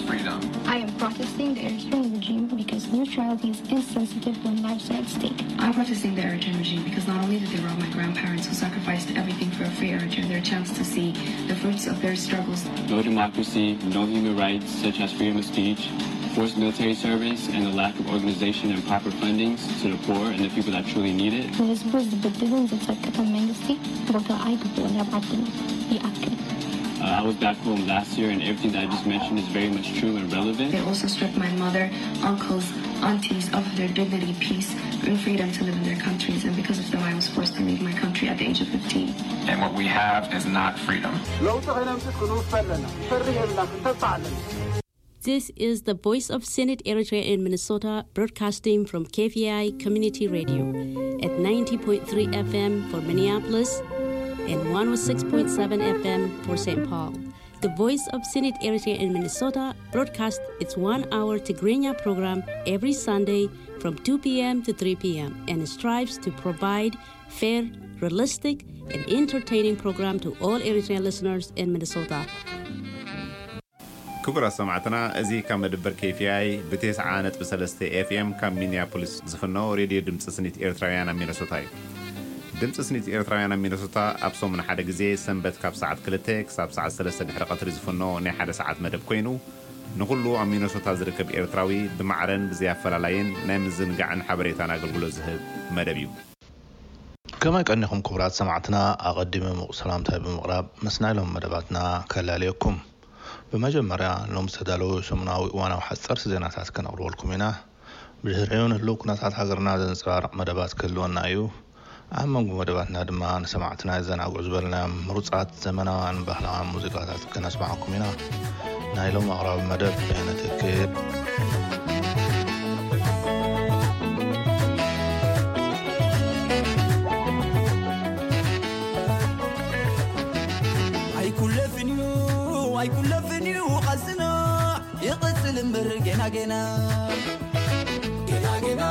Freedom. I am protesting the Eritrean regime because neutrality is insensitive when lives are at stake. I'm protesting the Eritrean regime because not only did they rob my grandparents who sacrificed everything for a free Eritrea their chance to see the fruits of their struggles. No democracy, no human rights such as freedom of speech, forced military service, and the lack of organization and proper fundings to the poor and the people that truly need it. ንህዝቡ ዝብድልን ዝጸቅጥን መንግስቲ ቦታ ኣይግብኦን ኣብ ዓድና። ይኣክል። Uh, I was back home last year, and everything that I just mentioned is very much true and relevant. They also stripped my mother, uncles, aunties of their dignity, peace, and freedom to live in their countries. And because of them, I was forced to leave my country at the age of fifteen. And what we have is not freedom. ለውጢ ከነምፅእ ክንውፈ ኣለና። ፈርህ የብልና፣ ክንተብዕ ኣለና። This is the Voice of Senate Eritrea in Minnesota, broadcasting from K V I Community Radio at ninety point three F M for Minneapolis and one oh six point seven F M for Saint Paul. The Voice of Senate Eritrea in Minnesota broadcasts its one-hour Tigrinya program every Sunday from two p.m. to three p.m. and strives to provide fair, realistic, and entertaining program to all Eritrean listeners in Minnesota. ክቡራት ሰማዕትና፣ እዚ ካብ መደበር K V I ብ ተስዓ ነጥቢ ሰለስተ F M ካብ ሚኒያፖሊስ ዝፍኖ ሬድዮ ድምፂ ስኒት ኤርትራውያን ኣብ ሚነሶታ እዩ። ድምፂ ስኒት ኤርትራውያን ኣብ ሚነሶታ ኣብ ሰሙን ሓደ ግዜ ሰንበት ካብ ሰዓት ክልተ ክሳብ ሰዓት ሰለስተ ድሕሪ ቀትሪ ዝፍኖ ናይ ሓደ ሰዓት መደብ ኮይኑ፣ ንኹሉ ኣብ ሚነሶታ ዝርከብ ኤርትራዊ ብማዕረን ብዘይ ኣፈላላይን ናይ ምዝንጋዕን ሓበሬታን ኣገልግሎት ዝህብ መደብ እዩ። ከመይ ቀኒኹም ክቡራት ሰማዕትና? ኣቐዲመ ምቑ ሰላምታይ ብምቕራብ ምስ ናይ ሎም መደባትና ከላልየኩም። ብመጀመርያ ሎም ዝተዳለዉ ሰሙናዊ እዋናዊ ሓፀርቲ ዜናታት ከነቕርበልኩም ኢና። ብድሕሪኡ ንህልው ኩነታት ሃገርና ዘንፀባርቕ መደባት ክህልወና እዩ። ኣብ መንጎ መደባትና ድማ ንሰማዕትና የዘናግዑ ዝበልናዮም ምሩፃት ዘመናውያን ባህላውያን ሙዚቃታት ከነስማዓኩም ኢና። ናይ ሎም ኣቕራቢ መደብ በየነ ትክል። ኣይኩለፍን እዩ ኣይኩለፍን እዩ ቃልስና ይቕጽል እምበር ገና ገና ገና ገና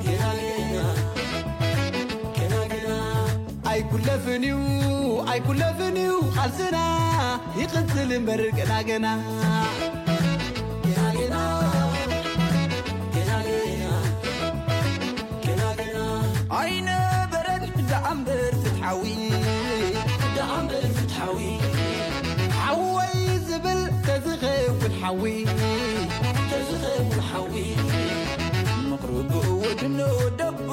ገና ገና ገና ገና ኣይኩለፍን እዩ ኣይኩለፍን እዩ ቃልስና ይቕጽል እምበር ገና ገና ገና ገና ገና ገና ገና ኣይነበረን ደኣ እምበር ፍትሓዊ ደኣ እምበር ፍትሓዊ ሓወይ ዝብል ተዝኸውን ሓዊ ተዝኸውን ሓዊ ምቕርብኡ ወድኖ ደቦ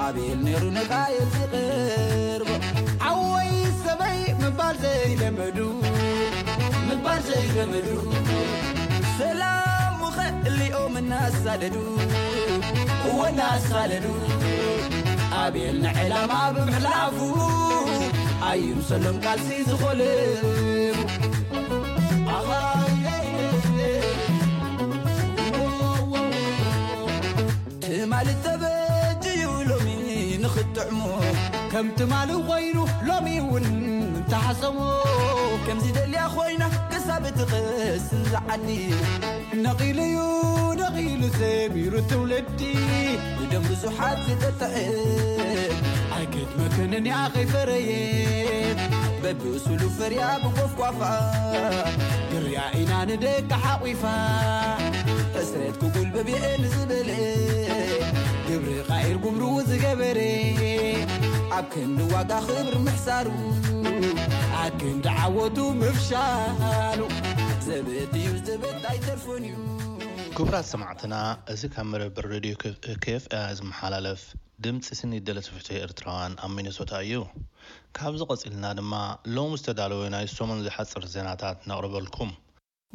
ኣቤል ነይሩ ነቓየ ዝቕርቦ ሓወይ ሰበይ ምባል ዘይለመዱ ምባል ዘይለመዱ ሰላም ውኸ እሊኦም እናሳደዱ እወ እናሳደዱ ኣቤል ንዕላማ ብምሕላፉ ኣይምሰሎም ቃልሲ ዝኾልም ትማሊ ተበጅዩ ሎሚ ንኽጥዕሞ ከም ትማሊ ኮይኑ ሎሚ እውን እንተሓሰሞ ከምዚ ደልያ ኮይና ክሳብ ትቐስን ዝዓዲ ነቒሉዩ ነቒሉ ሰሚሩ ትውልዲ ብደም ብዙሓት ዝጠጥዐ ኣይክድመክንን እያ ከይፈረየ በብእሱሉ ፈርያ ብጎፍጓፋ ግርያ ኢና ንደቂ ሓቒፋ ሕስረት ክጉልበብ የኤ ንዝበለ ግብሪ ቃይር ጉምሩ ዝገበረ ኣብ ክንዲ ዋጋ ክብሪ ምሕሳሩ ኣብ ክንዲ ዓወቱ ምፍሻሉ ዘበት እዩ ዘበት ኣይተርፎን እዩ ክቡራት ሰማዕትና፣ እዚ ካብ መደበር ሬድዮ K F I ዝመሓላለፍ ድምፂ ስኒት ደለቲ ፍትሒ ኤርትራውያን ኣብ ሚነሶታ እዩ። ካብዚ ቀፂልና ድማ ሎም ዝተዳለወ ናይ ሰሙን ዝሓፅር ዜናታት ነቕርበልኩም።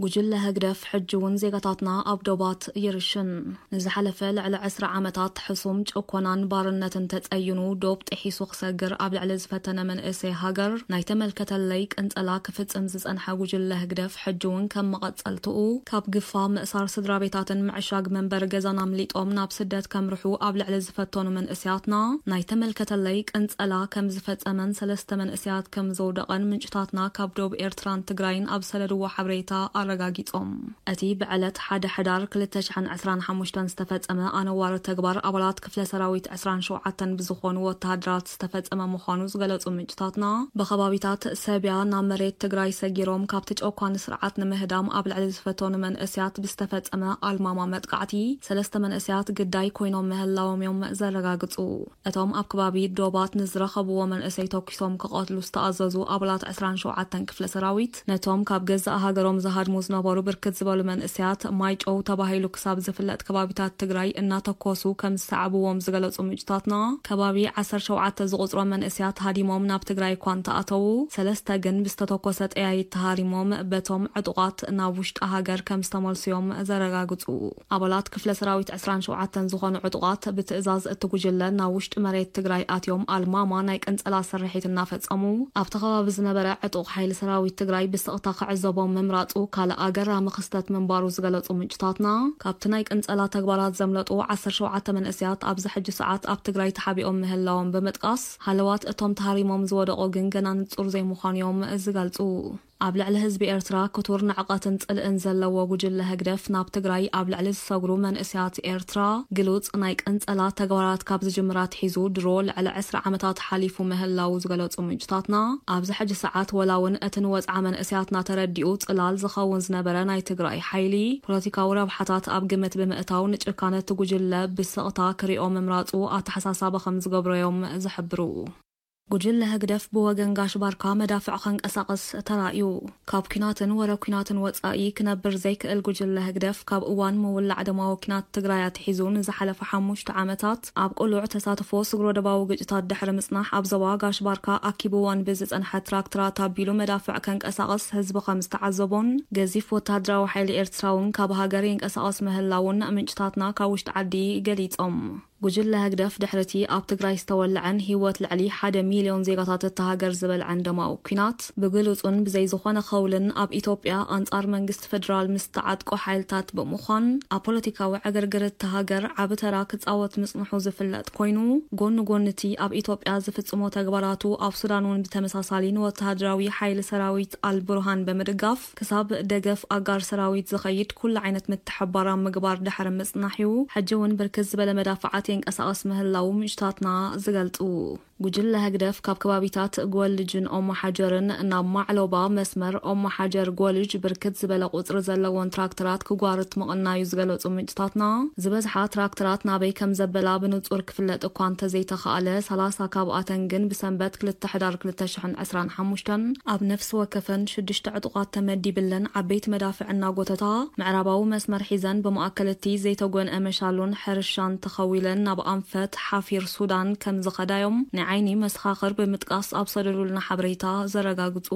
ጉጅለ ህግደፍ ሕጂ እውን ዜጋታትና ኣብ ዶባት ይርሽን። ንዝሓለፈ ልዕሊ ዕስራ ዓመታት ሕሱም ጭኮናን ባርነትን ተጸይኑ ዶብ ጥሒሱ ክሰግር ኣብ ልዕሊ ዝፈተነ መንእሰይ ሃገር ናይ ተመልከተለይ ቅንጸላ ክፍጽም ዝጸንሐ ጉጅለ ህግደፍ ሕጂ እውን ከም መቐጸልትኡ ካብ ግፋ ምእሳር ስድራ ቤታትን ምዕሻግ መንበሪ ገዛን ኣምሊጦም ናብ ስደት ከምርሑ ኣብ ልዕሊ ዝፈተኑ መንእሰያትና ናይ ተመልከተለይ ቅንጸላ ከም ዝፈጸመን ሰለስተ መንእሰያት ከም ዘውደቐን ምንጭታትና ካብ ዶብ ኤርትራን ትግራይን ኣብ ሰደድዎ ሓበሬታ ኣረጋጊጾም። እቲ ብዕለት ሓደ ሕዳር ክልተ ሽሕን ዕስራን ሓሙሽተን ዝተፈጸመ ኣነዋሪ ተግባር ኣባላት ክፍለ ሰራዊት ዕስራን ሸውዓተን ብዝኾኑ ወተሃደራት ዝተፈጸመ ምዃኑ ዝገለጹ ምንጭታትና፣ ብከባቢታት ሰብያ ናብ መሬት ትግራይ ሰጊሮም ካብቲ ጨቋኒ ስርዓት ንምህዳም ኣብ ልዕሊ ዝፈተኑ መንእስያት ብዝተፈጸመ ኣልማማ መጥቃዕቲ ሰለስተ መንእስያት ግዳይ ኮይኖም ምህላዎም እዮም ዘረጋግጹ። እቶም ኣብ ከባቢ ዶባት ንዝረኸብዎ መንእሰይ ተኩሶም ክቐትሉ ዝተኣዘዙ ኣባላት ዕስራን ሸውዓተን ክፍለ ሰራዊት፣ ነቶም ካብ ገዛእ ሃገሮም ዝሃድሙ ዝነበሩ ብርክት ዝበሉ መንእሰያት ማይጨው ተባሂሉ ክሳብ ዝፍለጥ ከባቢታት ትግራይ እናተኮሱ ከም ዝሰዓብዎም ዝገለጹ ምንጭታትና፣ ከባቢ ዓሰርተ ሸውዓተ ዝቑጽሮም መንእሰያት ሃዲሞም ናብ ትግራይ እኳ እንተኣተዉ፣ ሰለስተ ግን ብዝተተኮሰ ጠያይት ተሃሪሞም በቶም ዕጡቓት ናብ ውሽጢ ሃገር ከም ዝተመልሱዮም ዘረጋግጹ። ኣባላት ክፍለ ሰራዊት ዕስራን ሸውዓተን ዝኾኑ ዕጡቓት ብትእዛዝ እቲ ጉጅለ ናብ ውሽጢ መሬት ትግራይ ኣትዮም ኣልማማ ናይ ቅንጸላ ስርሒት እናፈጸሙ ኣብቲ ከባቢ ዝነበረ ዕጡቕ ሓይሊ ሰራዊት ትግራይ ብስቕታ ክዕዘቦም ምምራጹ ካልእ ኣገራሚ ክስተት ምንባሩ ዝገለጹ ምንጭታትና፣ ካብቲ ናይ ቅንጸላ ተግባራት ዘምለጡ ዓሰርተ ሸውዓተ መንእስያት ኣብዚ ሕጂ ሰዓት ኣብ ትግራይ ተሓቢኦም ምህላዎም ብምጥቃስ፣ ሃለዋት እቶም ተሃሪሞም ዝወደቑ ግን ገና ንጹር ዘይምዃኑዮም ዝገልጹ። ኣብ ልዕሊ ህዝቢ ኤርትራ ክቱር ንዕቐትን ጽልእን ዘለዎ ጉጅለ ህግደፍ ናብ ትግራይ ኣብ ልዕሊ ዝሰግሩ መንእስያት ኤርትራ ግሉጽ ናይ ቅንጸላ ተግባራት ካብ ዝጅምር ኣትሒዙ ድሮ ልዕሊ ዕስራ ዓመታት ሓሊፉ ምህላዉ ዝገለጹ ምንጭታትና፣ ኣብዚ ሕጂ ሰዓት ወላ እውን እቲ ንወጽዓ መንእስያትና ተረዲኡ ጽላል ዝኸውን ዝነበረ ናይ ትግራይ ሓይሊ ፖለቲካዊ ረብሓታት ኣብ ግምት ብምእታው ንጭካነ እቲ ጉጅለ ብስቕታ ክሪኦ ምምራጹ ኣተሓሳሳቢ ከም ዝገብሮዮም ዝሕብሩ። ጉጅለ ህግደፍ ብወገን ጋሽ ባርካ መዳፍዕ ከንቀሳቕስ ተራእዩ። ካብ ኲናትን ወረ ኲናትን ወጻኢ ክነብር ዘይክእል ጉጅለ ህግደፍ፣ ካብ እዋን ምውላዕ ደማዊ ኲናት ትግራይ ኣትሒዙ ንዝሓለፈ ሓሙሽተ ዓመታት ኣብ ቅሉዕ ተሳትፎ ስግረ ዶባዊ ግጭታት ድሕሪ ምጽናሕ፣ ኣብ ዞባ ጋሽ ባርካ ኣኪብወን ብዝጸንሐ ትራክተራት ኣቢሉ መዳፍዕ ከንቀሳቕስ ህዝቢ ከም ዝተዓዘቦን፣ ገዚፍ ወተሃደራዊ ሓይሊ ኤርትራ እውን ካብ ሃገር ይንቀሳቐስ ምህላውን ምንጭታትና ካብ ውሽጢ ዓዲ ገሊጾም። ጉጅለ ህግደፍ ድሕሪቲ ኣብ ትግራይ ዝተወልዐን ህይወት ልዕሊ ሓደ ሚልዮን ዜጋታት እታ ሃገር ዝበልዐን ደማዊ ኲናት፣ ብግሉጹን ብዘይ ዝኾነ ከውልን ኣብ ኢትዮጵያ ኣንጻር መንግስቲ ፌደራል ምስ ተዓጥቁ ሓይልታት ብምዃን፣ ኣብ ፖለቲካዊ ዕግርግር እታ ሃገር ዓቢ ተራ ክጻወት ምጽንሑ ዝፍለጥ ኮይኑ፣ ጎኒ ጎኒ እቲ ኣብ ኢትዮጵያ ዝፍጽሞ ተግባራቱ ኣብ ሱዳን እውን ብተመሳሳሊ ንወተሃደራዊ ሓይሊ ሰራዊት ኣልቡርሃን ብምድጋፍ ክሳብ ደገፍ ኣጋር ሰራዊት ዝኸይድ ኩሉ ዓይነት ምትሕብባር ኣብ ምግባር ድሕሪ ምጽናሕ እዩ፣ ሕጂ እውን ብርክት ዝበለ መዳፍዓት የንቀሳቐስ ምህላዉ ምንጭታትና ዝገልጹ። ጉጅለ ህግደፍ ካብ ከባቢታት ጎልጅን ኦሞ ሓጀርን ናብ ማዕሎባ መስመር ኦሞ ሓጀር ጎልጅ ብርክት ዝበለ ቁጽሪ ዘለዎን ትራክተራት ክጓርት ምቕናዩ ዝገለጹ ምንጭታትና፣ ዝበዝሓ ትራክተራት ናበይ ከም ዘበላ ብንጹር ክፍለጥ እኳ እንተዘይተኻእለ፣ ሰላሳ ካብኣተን ግን ብሰንበት ክልተ ሕዳር ክልተ ሽሕን ዕስራን ሓሙሽተን ኣብ ነፍሲ ወከፈን ሽዱሽተ ዕጡቓት ተመዲብለን ዓበይቲ መዳፍዕ እናጎተታ ምዕራባዊ መስመር ሒዘን ብማእከል እቲ ዘይተጎንአ መሻሎን ሕርሻን ተኸዊለን ናብ ኣንፈት ሓፊር ሱዳን ከም ዝኸዳዮም ናይ ዓይኒ መሰኻኽር ብምጥቃስ ኣብ ሰደዱልና ሓበሬታ ዘረጋግጹ።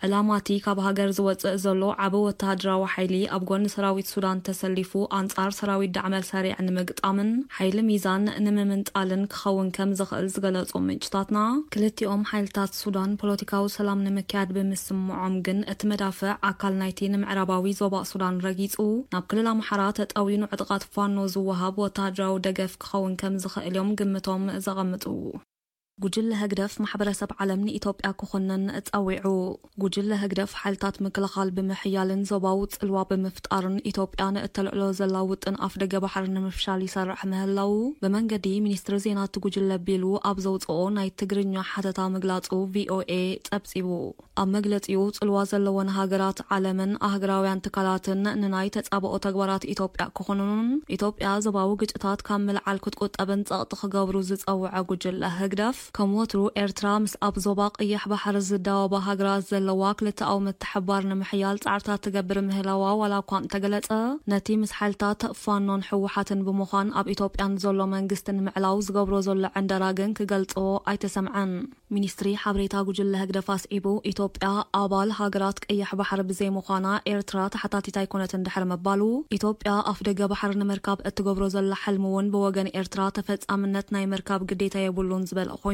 ዕላማ እቲ ካብ ሃገር ዝወጽእ ዘሎ ዓቢ ወተሃደራዊ ሓይሊ ኣብ ጎኒ ሰራዊት ሱዳን ተሰሊፉ ኣንጻር ሰራዊት ዳዕመል ሰሪዕ ንምግጣምን ሓይሊ ሚዛን ንምምንጣልን ክኸውን ከም ዝኽእል ዝገለጹ ምንጭታትና፣ ክልቲኦም ሓይልታት ሱዳን ፖለቲካዊ ሰላም ንምክያድ ብምስምዖም ግን እቲ መዳፍዕ ኣካል ናይቲ ንምዕራባዊ ዞባ ሱዳን ረጊጹ ናብ ክልል ኣምሓራ ተጠውዩ ንዕጡቓት ፋኖ ዝወሃብ ወተሃደራዊ ደገፍ ክኸውን ከም ዝኽእል እዮም ግምቶም ዘቐምጡ። ጉጅለ ህግደፍ ማሕበረሰብ ዓለም ንኢትዮጵያ ክኹንን ጸዊዑ። ጉጅለ ህግደፍ ሓይልታት ምክልኻል ብምሕያልን ዞባዊ ጽልዋ ብምፍጣርን ኢትዮጵያ ንእተልዕሎ ዘላ ውጥን ኣፍደገ ባሕሪ ንምፍሻል ይሰርሕ ምህላዉ ብመንገዲ ሚኒስትሪ ዜና እቲ ጉጅለ ቢሉ ኣብ ዘውጽኦ ናይ ትግርኛ ሓተታ ምግላጹ ቪኦኤ ጸብጺቡ። ኣብ መግለጺኡ፣ ጽልዋ ዘለወን ሃገራት ዓለምን ኣህግራውያን ትካላትን ንናይ ተጻብኦ ተግባራት ኢትዮጵያ ክኹንኑን ኢትዮጵያ ዞባዊ ግጭታት ካብ ምልዓል ክትቁጠብን ጸቕጢ ክገብሩ ዝጸውዐ ጉጅለ ህግደፍ፣ ከም ወትሩ ኤርትራ ምስ ኣብ ዞባ ቀይሕ ባሕሪ ዝዳወባ ሃገራት ዘለዋ ክልተኣዊ ምትሕብባር ንምሕያል ጻዕርታት ትገብር ምህላዋ ዋላ እኳ እንተገለጸ፣ ነቲ ምስ ሓይልታት ፋኖን ህወሓትን ብምዃን ኣብ ኢትዮጵያን ዘሎ መንግስቲ ንምዕላው ዝገብሮ ዘሎ ዕንደራ ግን ክገልጾ ኣይተሰምዐን። ሚኒስትሪ ሓበሬታ ጉጅለ ህግደፍ ኣስዒቡ፣ ኢትዮጵያ ኣባል ሃገራት ቀይሕ ባሕሪ ብዘይምዃና ኤርትራ ተሓታቲት ኣይኮነትን ድሕሪ ምባሉ፣ ኢትዮጵያ ኣፍደገ ባሕሪ ንምርካብ እትገብሮ ዘላ ሕልሚ እውን ብወገን ኤርትራ ተፈጻምነት ናይ ምርካብ ግዴታ የብሉን ዝበለ ኮይኑ፣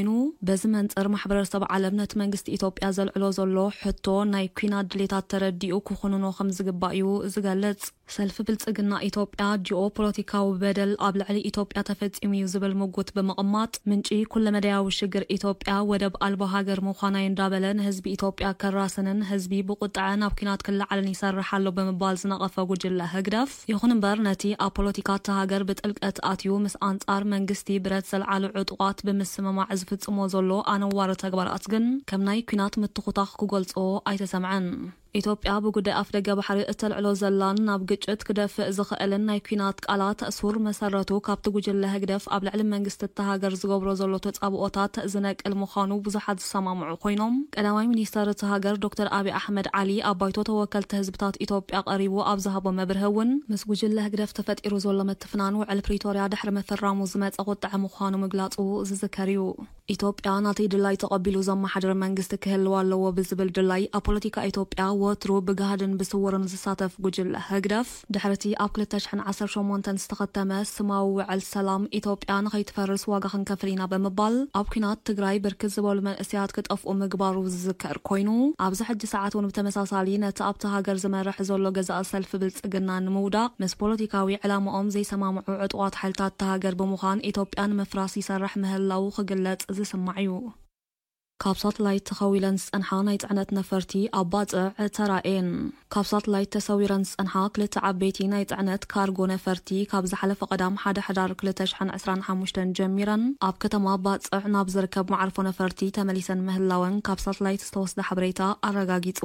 በዚ መንጽር ማሕበረሰብ ዓለም ነቲ መንግስቲ ኢትዮጵያ ዘልዕሎ ዘሎ ሕቶ ናይ ኲናት ድሌታት ተረዲኡ ክኹንኖ ከም ዝግባእ እዩ ዝገልጽ። ሰልፊ ብልጽግና ኢትዮጵያ ጂኦ ፖለቲካዊ በደል ኣብ ልዕሊ ኢትዮጵያ ተፈጺሙ እዩ ዝብል ምጉት ብምቕማጥ፣ ምንጪ ኩለመዳያዊ ሽግር ኢትዮጵያ ወደብ ኣልባ ሃገር ምዃና እዩ እንዳበለ፣ ንህዝቢ ኢትዮጵያ ከራስንን ህዝቢ ብቁጥዐ ናብ ኲናት ክለዓልን ይሰርሕ ኣሎ ብምባል ዝነቐፈ ጉጅለ ህግደፍ፣ ይኹን እምበር ነቲ ኣብ ፖለቲካ እታ ሃገር ብጥልቀት ኣትዩ ምስ ኣንጻር መንግስቲ ብረት ዘልዓሉ ዕጡቓት ብምስምማዕ ዝፍጽሞ ዘሎ ኣነዋሪ ተግባራት ግን ከም ናይ ኲናት ምትኹታኽ ክገልጾ ኣይተሰምዐን። ኢትዮጵያ ብጉዳይ ኣፍደገ ባሕሪ እተልዕሎ ዘላን ናብ ግጭት ክደፍእ ዝኽእልን ናይ ኲናት ቃላት ሱር መሰረቱ ካብቲ ጉጅለ ህግደፍ ኣብ ልዕሊ መንግስቲ እታ ሃገር ዝገብሮ ዘሎ ተጻብኦታት ዝነቅል ምዃኑ ብዙሓት ዝሰማምዑ ኮይኖም፣ ቀዳማይ ሚኒስተር እታ ሃገር ዶክተር ኣብይ ኣሕመድ ዓሊ ኣብ ባይቶ ተወከልቲ ህዝብታት ኢትዮጵያ ቀሪቡ ኣብ ዝሃቦ መብርሂ እውን፣ ምስ ጉጅለ ህግደፍ ተፈጢሩ ዘሎ ምትፍናን ውዕል ፕሪቶርያ ድሕሪ ምፍራሙ ዝመጸ ቁጥዐ ምዃኑ ምግላጹ ዝዝከር እዩ። ኢትዮጵያ ናተይ ድላይ ተቐቢሉ ዘመሓድር መንግስቲ ክህልዋ ኣለዎ ብዝብል ድላይ፣ ኣብ ፖለቲካ ኢትዮጵያ ወትሩ ብጋህድን ብስውርን ዝሳተፍ ጉጅለ ህግደፍ፣ ድሕሪቲ ኣብ ክልተ ሽሕን ዓሰርተ ሸሞንተን ዝተኸተመ ስማዊ ውዕል ሰላም፣ ኢትዮጵያ ንኸይትፈርስ ዋጋ ክንከፍል ኢና ብምባል፣ ኣብ ኲናት ትግራይ ብርክት ዝበሉ መንእሰያት ክጠፍኡ ምግባሩ ዝዝከር ኮይኑ፣ ኣብዚ ሕጂ ሰዓት እውን ብተመሳሳሊ ነቲ ኣብቲ ሃገር ዝመርሕ ዘሎ ገዛኢ ሰልፊ ብልጽግና ንምውዳቕ፣ ምስ ፖለቲካዊ ዕላማኦም ዘይሰማምዑ ዕጡቓት ሓይልታት እታ ሃገር ብምዃን፣ ኢትዮጵያ ንምፍራስ ይሰርሕ ምህላዉ ክግለጽ ዝስማዕ እዩ። ካብ ሳትላይት ተኸዊለን ዝጸንሓ ናይ ጽዕነት ነፈርቲ ኣብ ባጽዕ ተራእየን። ካብ ሳትላይት ተሰዊረን ዝጸንሓ ክልተ ዓበይቲ ናይ ጽዕነት ካርጎ ነፈርቲ፣ ካብ ዝሓለፈ ቀዳም ሓደ ሕዳር ክልተ ሽሕን ዕስራን ሓሙሽተን ጀሚረን፣ ኣብ ከተማ ባጽዕ ናብ ዝርከብ መዓርፎ ነፈርቲ ተመሊሰን ምህላወን ካብ ሳትላይት ዝተወስደ ሓበሬታ ኣረጋጊጹ።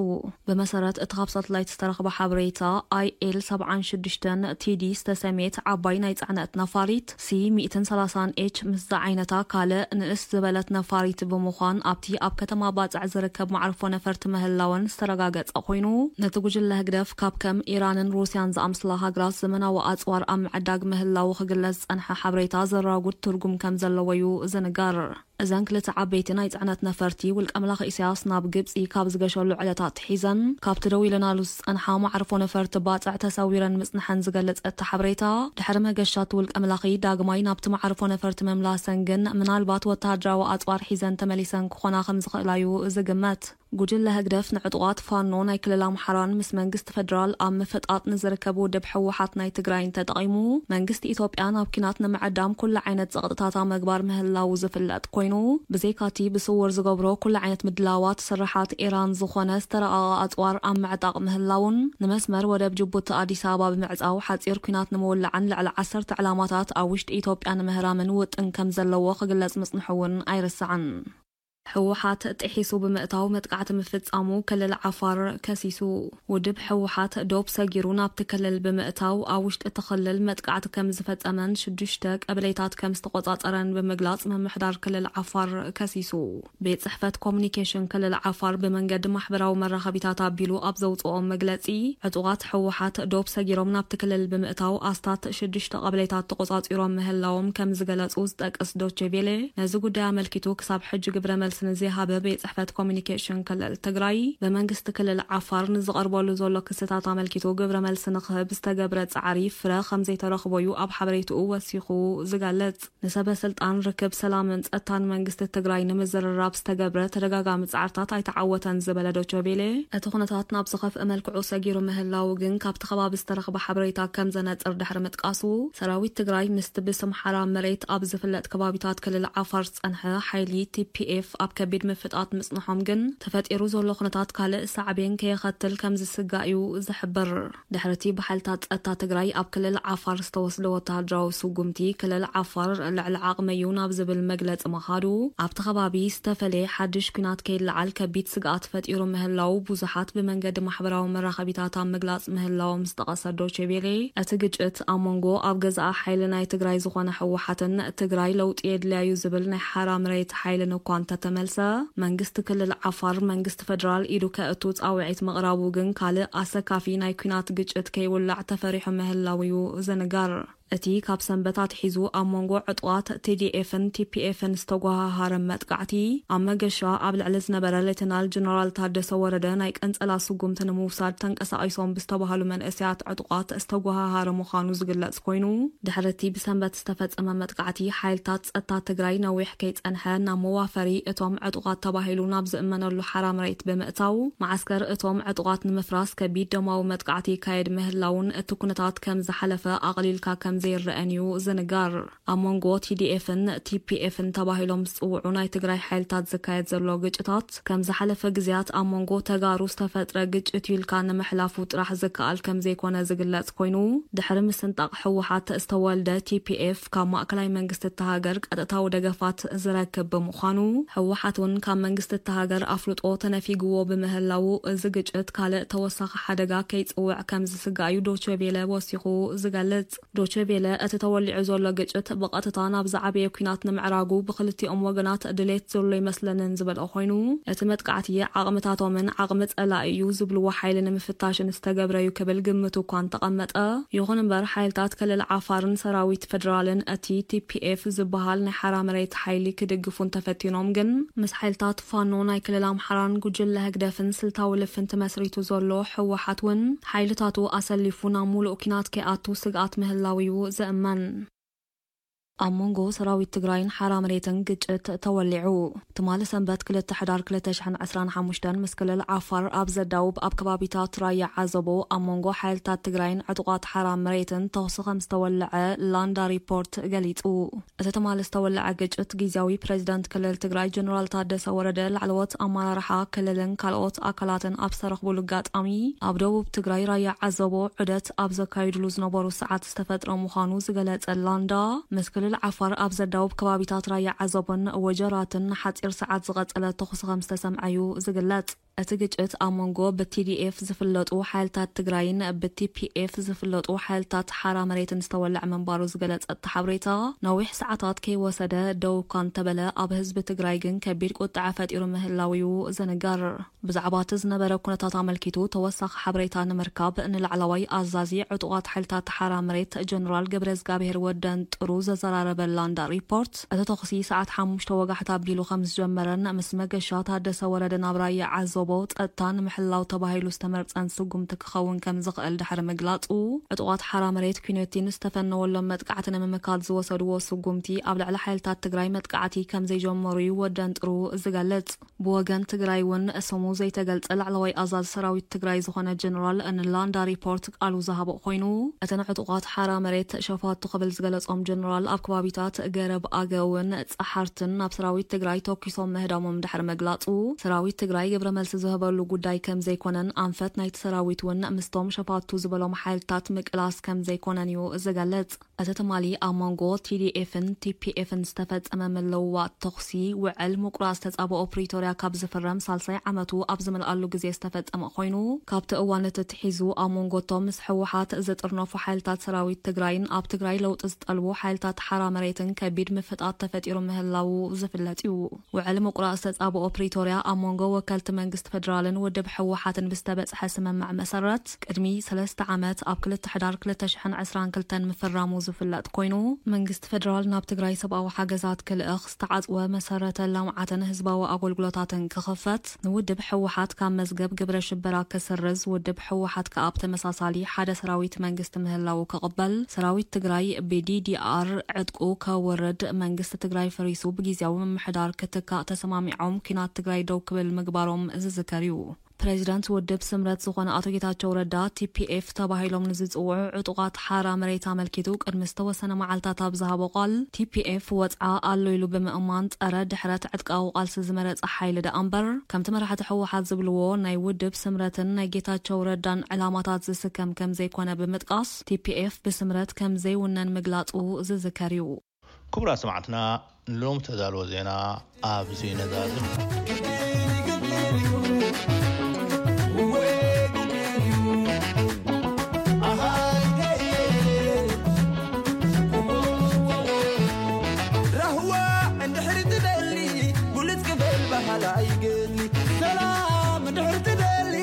ብመሰረት እቲ ካብ ሳትላይት ዝተረኽበ ሓበሬታ፣ ኣይ ኤል ሰብዓን ሽዱሽተን ቲ ዲ ዝተሰምየት ዓባይ ናይ ጽዕነት ነፋሪት፣ ሲ ሚእትን ሰላሳን ኤች ምስ ዝዓይነታ ካልእ ንእስ ዝበለት ነፋሪት ብምዃን ኣብቲ ኣብ ከተማ ባጽዕ ዝርከብ መዓርፎ ነፈርቲ ምህላወን ዝተረጋገጸ ኮይኑ፣ ነቲ ጉጅለ ህግደፍ ካብ ከም ኢራንን ሩስያን ዝኣምስላ ሃገራት ዘመናዊ ኣጽዋር ኣብ ምዕዳግ ምህላዉ ክግለጽ ዝጸንሐ ሓበሬታ ዘራጉድ ትርጉም ከም ዘለዎ እዩ ዝንገር። እዘን ክልተ ዓበይቲ ናይ ጽዕነት ነፈርቲ፣ ውልቀ መላኺ ኢሳያስ ናብ ግብጺ ካብ ዝገሸሉ ዕለት ኣትሒዘን፣ ካብቲ ደው ኢለናሉ ዝጸንሓ መዓርፎ ነፈርቲ ባጽዕ ተሰዊረን ምጽንሐን ዝገልጽ እቲ ሓበሬታ፣ ድሕሪ መገሻ እቲ ውልቀ መላኺ ዳግማይ ናብቲ መዓርፎ ነፈርቲ ምምላሰን ግን፣ ምናልባት ወተሃደራዊ ኣጽዋር ሒዘን ተመሊሰን ክኾና ከም ዝኽእላ እዩ ዝግመት። ጉጅለ ህግደፍ ንዕጡቓት ፋኖ ናይ ክልል ኣምሓራን ምስ መንግስቲ ፈደራል ኣብ ምፍጣጥ ንዝርከብ ውድብ ህወሓት ናይ ትግራይን ተጠቒሙ፣ መንግስቲ ኢትዮጵያ ናብ ኲናት ንምዕዳም ኩሉ ዓይነት ጸቕጥታት ኣብ ምግባር ምህላዉ ዝፍለጥ ኮይኑ፣ ብዘይካቲ ብስውር ዝገብሮ ኩሉ ዓይነት ምድላዋት፣ ስርሓት ኢራን ዝኾነ ዝተረቐቐ ኣጽዋር ኣብ ምዕጣቕ ምህላዉን፣ ንመስመር ወደብ ጅቡቲ ኣዲስ ኣበባ ብምዕጻው ሓጺር ኲናት ንምውላዕን ልዕሊ ዓሰርተ ዕላማታት ኣብ ውሽጢ ኢትዮጵያ ንምህራምን ውጥን ከም ዘለዎ ክግለጽ ምጽንሑ እውን ኣይርሳዕን። ህወሓት ጥሒሱ ብምእታው መጥቃዕቲ ምፍጻሙ ክልል ዓፋር ከሲሱ። ውድብ ህወሓት ዶብ ሰጊሩ ናብቲ ክልል ብምእታው ኣብ ውሽጢ እቲ ክልል መጥቃዕቲ ከም ዝፈጸመን ሽዱሽተ ቀበሌታት ከም ዝተቆጻጸረን ብምግላጽ ምምሕዳር ክልል ዓፋር ከሲሱ። ቤት ጽሕፈት ኮሙኒኬሽን ክልል ዓፋር ብመንገዲ ማሕበራዊ መራኸቢታት ኣቢሉ ኣብ ዘውጽኦ መግለጺ፣ ዕጡቓት ህወሓት ዶብ ሰጊሮም ናብቲ ክልል ብምእታው ኣስታት ሽዱሽተ ቀበሌታት ተቆጻጺሮም ምህላዎም ከም ዝገለጹ ዝጠቅስ ዶቼ ቬሌ፣ ነዚ ጉዳይ ኣመልኪቱ ክሳብ ሕጂ ግብረ መልሲ ንዘይሃበ ቤት ጽሕፈት ኮሙኒኬሽን ክልል ትግራይ፣ ብመንግስቲ ክልል ዓፋር ንዝቐርበሉ ዘሎ ክስታት ኣመልኪቱ ግብረ መልሲ ንክህብ ዝተገብረ ጻዕሪ ፍረ ከም ዘይተረኽቦ እዩ ኣብ ሓበሬትኡ ወሲኹ ዝገልጽ። ንሰበ ስልጣን ርክብ ሰላምን ጸጥታን መንግስቲ ትግራይ ንምዝርራብ ዝተገብረ ተደጋጋሚ ጻዕርታት ኣይተዓወተን ዝበለ ዶቼ ቬሌ፣ እቲ ኩነታት ናብ ዝኸፍእ መልክዑ ሰጊሩ ምህላዉ ግን ካብቲ ከባቢ ዝተረኽበ ሓበሬታ ከም ዘነጽር ድሕሪ ምጥቃሱ፣ ሰራዊት ትግራይ ምስቲ ብስም ሓራ መሬት ኣብ ዝፍለጥ ከባቢታት ክልል ዓፋር ዝጸንሐ ሓይሊ ቲ ፒ ኤፍ ኣብ ከቢድ ምፍጣጥ ምጽንሖም ግን፣ ተፈጢሩ ዘሎ ኩነታት ካልእ ሳዕቤን ከየኸትል ከም ዝስጋእ እዩ ዝሕብር። ድሕሪቲ ብሓይልታት ጸጥታ ትግራይ ኣብ ክልል ዓፋር ዝተወስደ ወተሃደራዊ ስጉምቲ፣ ክልል ዓፋር ልዕሊ ዓቕመይ እዩ ናብ ዝብል መግለጺ ምኻዱ፣ ኣብቲ ከባቢ ዝተፈለየ ሓድሽ ኲናት ከይለዓል ከቢድ ስግኣት ፈጢሩ ምህላዉ ብዙሓት ብመንገዲ ማሕበራዊ መራኸቢታት ኣብ ምግላጽ ምህላዎም ዝጠቐሰ ዶቼ ቬሌ፣ እቲ ግጭት ኣብ መንጎ ኣብ ገዛኢ ሓይሊ ናይ ትግራይ ዝኾነ ህወሓትን ትግራይ ለውጢ የድልያ እዩ ዝብል ናይ ሓራ መሬት ሓይልን እኳ እንተተመልሰ፣ መንግስቲ ክልል ዓፋር መንግስቲ ፈደራል ኢዱ ከእቱ ጻውዒት ምቕራቡ ግን ካልእ ኣሰካፊ ናይ ኲናት ግጭት ከይውላዕ ተፈሪሑ ምህላው እዩ ዝንገር። እቲ ካብ ሰንበት ኣትሒዙ ኣብ መንጎ ዕጡቓት ቲ ዲ ኤፍን ቲ ፒ ኤፍን ዝተጓሃሃረ መጥቃዕቲ፣ ኣብ መገሻ ኣብ ልዕሊ ዝነበረ ሌተናል ጀነራል ታደሰ ወረደ ናይ ቀንጸላ ስጉምቲ ንምውሳድ ተንቀሳቒሶም ብዝተባሃሉ መንእሰያት ዕጡቓት ዝተጓሃሃረ ምዃኑ ዝግለጽ ኮይኑ፣ ድሕሪ እቲ ብሰንበት ዝተፈጸመ መጥቃዕቲ፣ ሓይልታት ጸጥታ ትግራይ ነዊሕ ከይጸንሐ ናብ መዋፈሪ እቶም ዕጡቓት ተባሂሉ ናብ ዝእመነሉ ሓራ መሬት ብምእታው፣ መዓስከር እቶም ዕጡቓት ንምፍራስ ከቢድ ደማዊ መጥቃዕቲ ይካየድ ምህላውን እቲ ኩነታት ከም ዝሓለፈ ኣቕሊልካ ከም ዘይረኣን እዩ ዝንገር። ኣብ መንጎ ቲ ዲ ኤፍን ቲ ፒ ኤፍን ተባሂሎም ዝጽውዑ ናይ ትግራይ ሓይልታት ዝካየድ ዘሎ ግጭታት፣ ከም ዝሓለፈ ግዜያት ኣብ መንጎ ተጋሩ ዝተፈጥረ ግጭት እዩ ኢልካ ንምሕላፉ ጥራሕ ዝከኣል ከም ዘይኮነ ዝግለጽ ኮይኑ፣ ድሕሪ ምስንጣቕ ህወሓት ዝተወልደ ቲ ፒ ኤፍ ካብ ማእከላይ መንግስቲ እታ ሃገር ቀጥታዊ ደገፋት ዝረክብ ብምዃኑ፣ ህወሓት እውን ካብ መንግስቲ እታ ሃገር ኣፍልጦ ተነፊግዎ ብምህላዉ፣ እዚ ግጭት ካልእ ተወሳኺ ሓደጋ ከይጽውዕ ከም ዝስጋእ እዩ ዶቼ ቬለ ወሲኹ ዝገልጽ። ዶቼ ቬለ፣ እቲ ተወሊዑ ዘሎ ግጭት ብቐጥታ ናብ ዝዓበየ ኲናት ንምዕራጉ ብክልቲኦም ወገናት ድሌት ዘሎ ይመስለንን ዝበለ ኮይኑ፣ እቲ መጥቃዕቲ ዓቕምታቶምን ዓቕሚ ጸላኢ እዩ ዝብልዎ ሓይሊ ንምፍታሽን ዝተገብረ እዩ ክብል ግምቱ እኳ እንተቐመጠ፣ ይኹን እምበር ሓይልታት ክልል ዓፋርን ሰራዊት ፌደራልን እቲ ቲ ፒ ኤፍ ዝበሃል ናይ ሓራ መሬት ሓይሊ ክድግፉ እንተፈቲኖም ግን፣ ምስ ሓይልታት ፋኖ ናይ ክልል ኣምሓራን ጉጅለ ህግደፍን ስልታዊ ልፍንቲ መስሪቱ ዘሎ ህወሓት እውን ሓይልታቱ ኣሰሊፉ ናብ ሙሉእ ኲናት ከይኣቱ ስግኣት ምህላው እዩ ዝእመን። ኣብ መንጎ ሰራዊት ትግራይን ሓራ መሬትን ግጭት ተወሊዑ። ትማሊ ሰንበት ክልተ ሕዳር ክልተ ሽሕን ዕስራን ሓሙሽተን ምስ ክልል ዓፋር ኣብ ዘዳውብ ኣብ ከባቢታት ራያ ዓዘቦ ኣብ መንጎ ሓይልታት ትግራይን ዕጡቓት ሓራ መሬትን ተኹሲ ከም ዝተወለዐ ላንዳ ሪፖርት ገሊጹ። እቲ ትማሊ ዝተወለዐ ግጭት ግዝያዊ ፕሬዚዳንት ክልል ትግራይ ጀነራል ታደሰ ወረደ፣ ላዕለዎት ኣመራርሓ ክልልን ካልኦት ኣካላትን ኣብ ዝተረኽቡሉ ኣጋጣሚ፣ ኣብ ደቡብ ትግራይ ራያ ዓዘቦ ዑደት ኣብ ዘካይድሉ ዝነበሩ ሰዓት ዝተፈጥረ ምዃኑ ዝገለጸ ላንዳ፣ ምስ ክልል ዓፋር ኣብ ዘዳውብ ከባቢታት ራያ ዓዘቦን ወጀራትን ንሓጺር ሰዓት ዝቐጸለ ተኹሲ ከም ዝተሰምዐ እዩ ዝግለጽ። እቲ ግጭት ኣብ መንጎ ብ ቲ ዲ ኤፍ ዝፍለጡ ሓይልታት ትግራይን ብ ቲ ፒ ኤፍ ዝፍለጡ ሓይልታት ሓራ መሬትን ዝተወልዐ ምንባሩ ዝገለጸ እቲ ሓበሬታ፣ ነዊሕ ሰዓታት ከይወሰደ ደው እኳ እንተበለ፣ ኣብ ህዝቢ ትግራይ ግን ከቢድ ቁጥዐ ፈጢሩ ምህላው እዩ ዝንገር። ብዛዕባ እቲ ዝነበረ ኩነታት ኣመልኪቱ ተወሳኺ ሓበሬታ ንምርካብ ንላዕለዋይ ኣዛዚ ዕጡቓት ሓይልታት ሓራ መሬት ጀነራል ገብረዝጋብሄር ወደን ጥሩ ዘዘራረበ ላንዳ ሪፖርት፣ እቲ ተኹሲ ሰዓት ሓሙሽተ ወጋሕታ ኣቢሉ ከም ዝጀመረን ምስ መገሻ ታደሰ ወረደ ናብ ራያ ዓዘቦ ጸጥታ ንምሕላው ተባሂሉ ዝተመርጸን ስጉምቲ ክኸውን ከም ዝኽእል ድሕሪ ምግላጹ፣ ዕጡቓት ሓራ መሬት ኩነቲ ንዝተፈነወሎም መጥቃዕቲ ንምምካት ዝወሰድዎ ስጉምቲ ኣብ ልዕሊ ሓይልታት ትግራይ መጥቃዕቲ ከም ዘይጀመሩ እዩ ወደን ጥሩ ዝገልጽ። ብወገን ትግራይ እውን ስሙ ዘይተገልጸ ላዕለዋይ ኣዛዚ ሰራዊት ትግራይ ዝኾነ ጀነራል ንላንዳ ሪፖርት ቃሉ ዝሃበ ኮይኑ፣ እተን ዕጡቓት ሓራ መሬት ሸፋቱ ክብል ዝገለጾም ጀነራል፣ ኣብ ከባቢታት ገረብ ኣገውን ጸሓርትን ናብ ሰራዊት ትግራይ ተኩሶም ምህዳሞም ድሕሪ ምግላጹ፣ ሰራዊት ትግራይ ግብረ መልሲ ዝህበሉ ጉዳይ ከም ዘይኮነን ኣንፈት ናይቲ ሰራዊት እውን ምስቶም ሸፋቱ ዝበሎም ሓይልታት ምቅላስ ከም ዘይኮነን እዩ ዝገልጽ። እቲ ትማሊ ኣብ መንጎ ቲ ዲ ኤፍን ቲ ፒ ኤፍን ዝተፈጸመ ምልውዋጥ ተኹሲ፣ ውዕል ምቁራጽ ተጻብኦ ፕሪቶርያ ካብ ዝፍረም ሳልሳይ ዓመቱ ኣብ ዝመልኣሉ ግዜ ዝተፈጸመ ኮይኑ፣ ካብቲ እዋን እቲ ኣትሒዙ ኣብ መንጎ እቶም ምስ ህወሓት ዝጥርነፉ ሓይልታት ሰራዊት ትግራይን ኣብ ትግራይ ለውጢ ዝጠልቡ ሓይልታት ሓራ መሬትን ከቢድ ምፍጣት ተፈጢሩ ምህላዉ ዝፍለጥ እዩ። ውዕል ምቁራጽ ተጻብኦ ፕሪቶርያ ኣብ መንጎ ወከልቲ መንግስቲ ፌደራልን ውድብ ህወሓትን ብዝተበጽሐ ስምምዕ መሰረት፣ ቅድሚ ሰለስተ ዓመት ኣብ ክልተ ሕዳር ክልተ ሽሕን ዕስራን ክልተን ምፍራሙ ዝፍለጥ ኮይኑ፣ መንግስቲ ፌደራል ናብ ትግራይ ሰብኣዊ ሓገዛት ክልእኽ ዝተዓጽወ መሰረተ ልምዓትን ህዝባዊ ኣገልግሎታትን ክኽፈት፣ ንውድብ ህወሓት ካብ መዝገብ ግብረ ሽበራ ክስርዝ፣ ውድብ ህወሓት ከኣ ብተመሳሳሊ ሓደ ሰራዊት መንግስቲ ምህላዉ ክቕበል፣ ሰራዊት ትግራይ ብ ዲ ዲ ኣር ዕጥቁ ከውርድ፣ መንግስቲ ትግራይ ፈሪሱ ብግዝያዊ ምምሕዳር ክትካእ ተሰማሚዖም፣ ኲናት ትግራይ ደው ክብል ምግባሮም ዝዝከር እዩ። ፕሬዚዳንት ውድብ ስምረት ዝኾነ ኣቶ ጌታቸው ረዳ፣ ቲ ፒ ኤፍ ተባሂሎም ንዝጽውዑ ዕጡቓት ሓራ መሬት ኣመልኪቱ ቅድሚ ዝተወሰነ መዓልታት ኣብ ዝሃቦ ቃል፣ ቲ ፒ ኤፍ ወጽዓ ኣሎ ኢሉ ብምእማን፣ ጸረ ድሕረት ዕጥቃዊ ቃልሲ ዝመረጸ ሓይሊ ደኣ እምበር፣ ከምቲ መራሕቲ ህወሓት ዝብልዎ ናይ ውድብ ስምረትን ናይ ጌታቸው ረዳን ዕላማታት ዝስከም ከም ዘይኮነ ብምጥቃስ፣ ቲ ፒ ኤፍ ብስምረት ከም ዘይውነን ምግላጹ ዝዝከር እዩ። ክቡራት ሰማዕትና፣ ንሎም ተዳልዎ ዜና ኣብዚ ነዛዝም። ራህዋ እንድሕር ትደሊ፣ ብሉጽ ክበል ባህላ ይገድሊ። ሰላም እንድሕር ትደሊ፣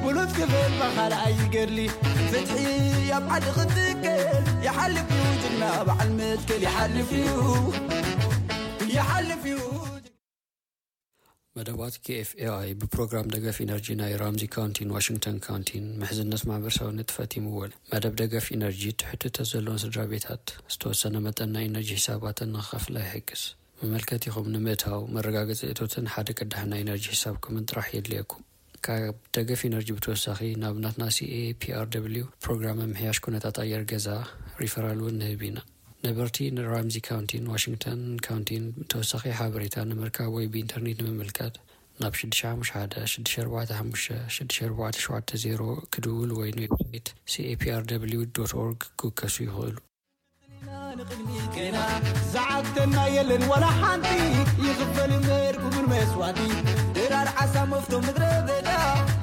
ብሉጽ ክብል ብኻልኣይ ይገድሊ። ፍትሒ ኣብ ዓዲ ክትከል ይሓልፍ እዩ ጅግና በዓል መትከል ይሓልፍ እዩ፣ ይሓልፍ እዩ። መደባት ኬኤፍኤኣይ ብፕሮግራም ደገፍ ኢነርጂ ናይ ራምዚ ካውንቲን ዋሽንግተን ካውንቲን ምሕዝነት ማሕበረሰባዊ ንጥፈት ይምወል። መደብ ደገፍ ኢነርጂ ትሕትቶ ዘለዎም ስድራ ቤታት ዝተወሰነ መጠን ናይ ኢነርጂ ሒሳባተን ንኽኸፍላ ይሕግዝ። መመልከቲኹም ንምእታው መረጋገፂ እቶትን ሓደ ቅዳሕ ናይ ኢነርጂ ሒሳብኩምን ጥራሕ የድልየኩም። ካብ ደገፍ ኢነርጂ ብተወሳኺ ናብ ናትና ሲኤፒኣርደብሊው ፕሮግራም ምምሕያሽ ኩነታት ኣየር ገዛ ሪፈራል እውን ንህብ ኢና። ነበርቲ ንራምዚ ካውንቲን ዋሽንግተን ካውንቲን ተወሳኺ ሓበሬታ ንምርካብ ወይ ብኢንተርኔት ንምምልካት ናብ ሽዱሽተ ሓሙሽተ ሓደ ሽዱሽተ ኣርባዕተ ሓሙሽተ ሽዱሽተ ኣርባዕተ ሸውዓተ ዜሮ ክድውሉ ወይ ንዌብሳይት ሲኤፒኣርደብሊው ዶት ኦርግ ክውከሱ ይኽእሉ። ንቕድሚት ገና ዝዓግተና የለን ዋላ ሓንቲ፣ ይኽፈል እምበር ክቡር መስዋእቲ። ድራር ዓሳ መፍቶ ምድረ በዳ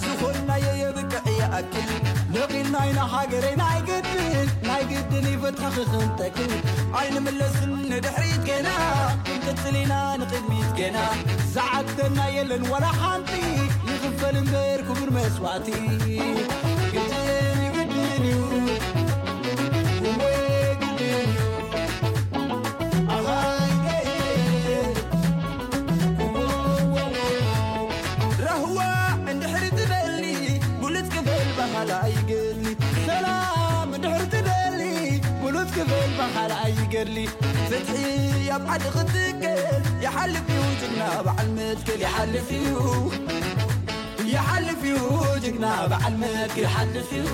ዝኾንናዮ የብቅዕ ይኣክል። ነቒልና ኢና ሃገረይ ናይ ግድን፣ ናይ ግድን ይፈትሐኺ ክንተክል። ኣይንምለስን ንድሕሪት ገና፣ ክንቅጽል ኢና ንቕድሚት ገና። ዝዓግተና የለን ዋላ ሓንቲ፣ ይኽፈል እምበር ክቡር መስዋእቲ። ግድን እዩ፣ ግድን እዩ፣ እወ ግድን እዩ። ኣሃይ፣ ራህዋ እንድሕር ትደሊ፣ ብሉጽ ክብል ባህላ ይገሊ። ሰላም እንድሕር ትደሊ፣ ብሉጽ ክብል ባህላ ይገሊ። ፍትሒ ኣብ ዓዲ ክትከል፣ ይሓልፍ እዩ ጅግና በዓል መትከል፣ ይሓልፍ እዩ። ይሓልፍ እዩ ጅግና በዓል መትከል፣ ይሓልፍ እዩ።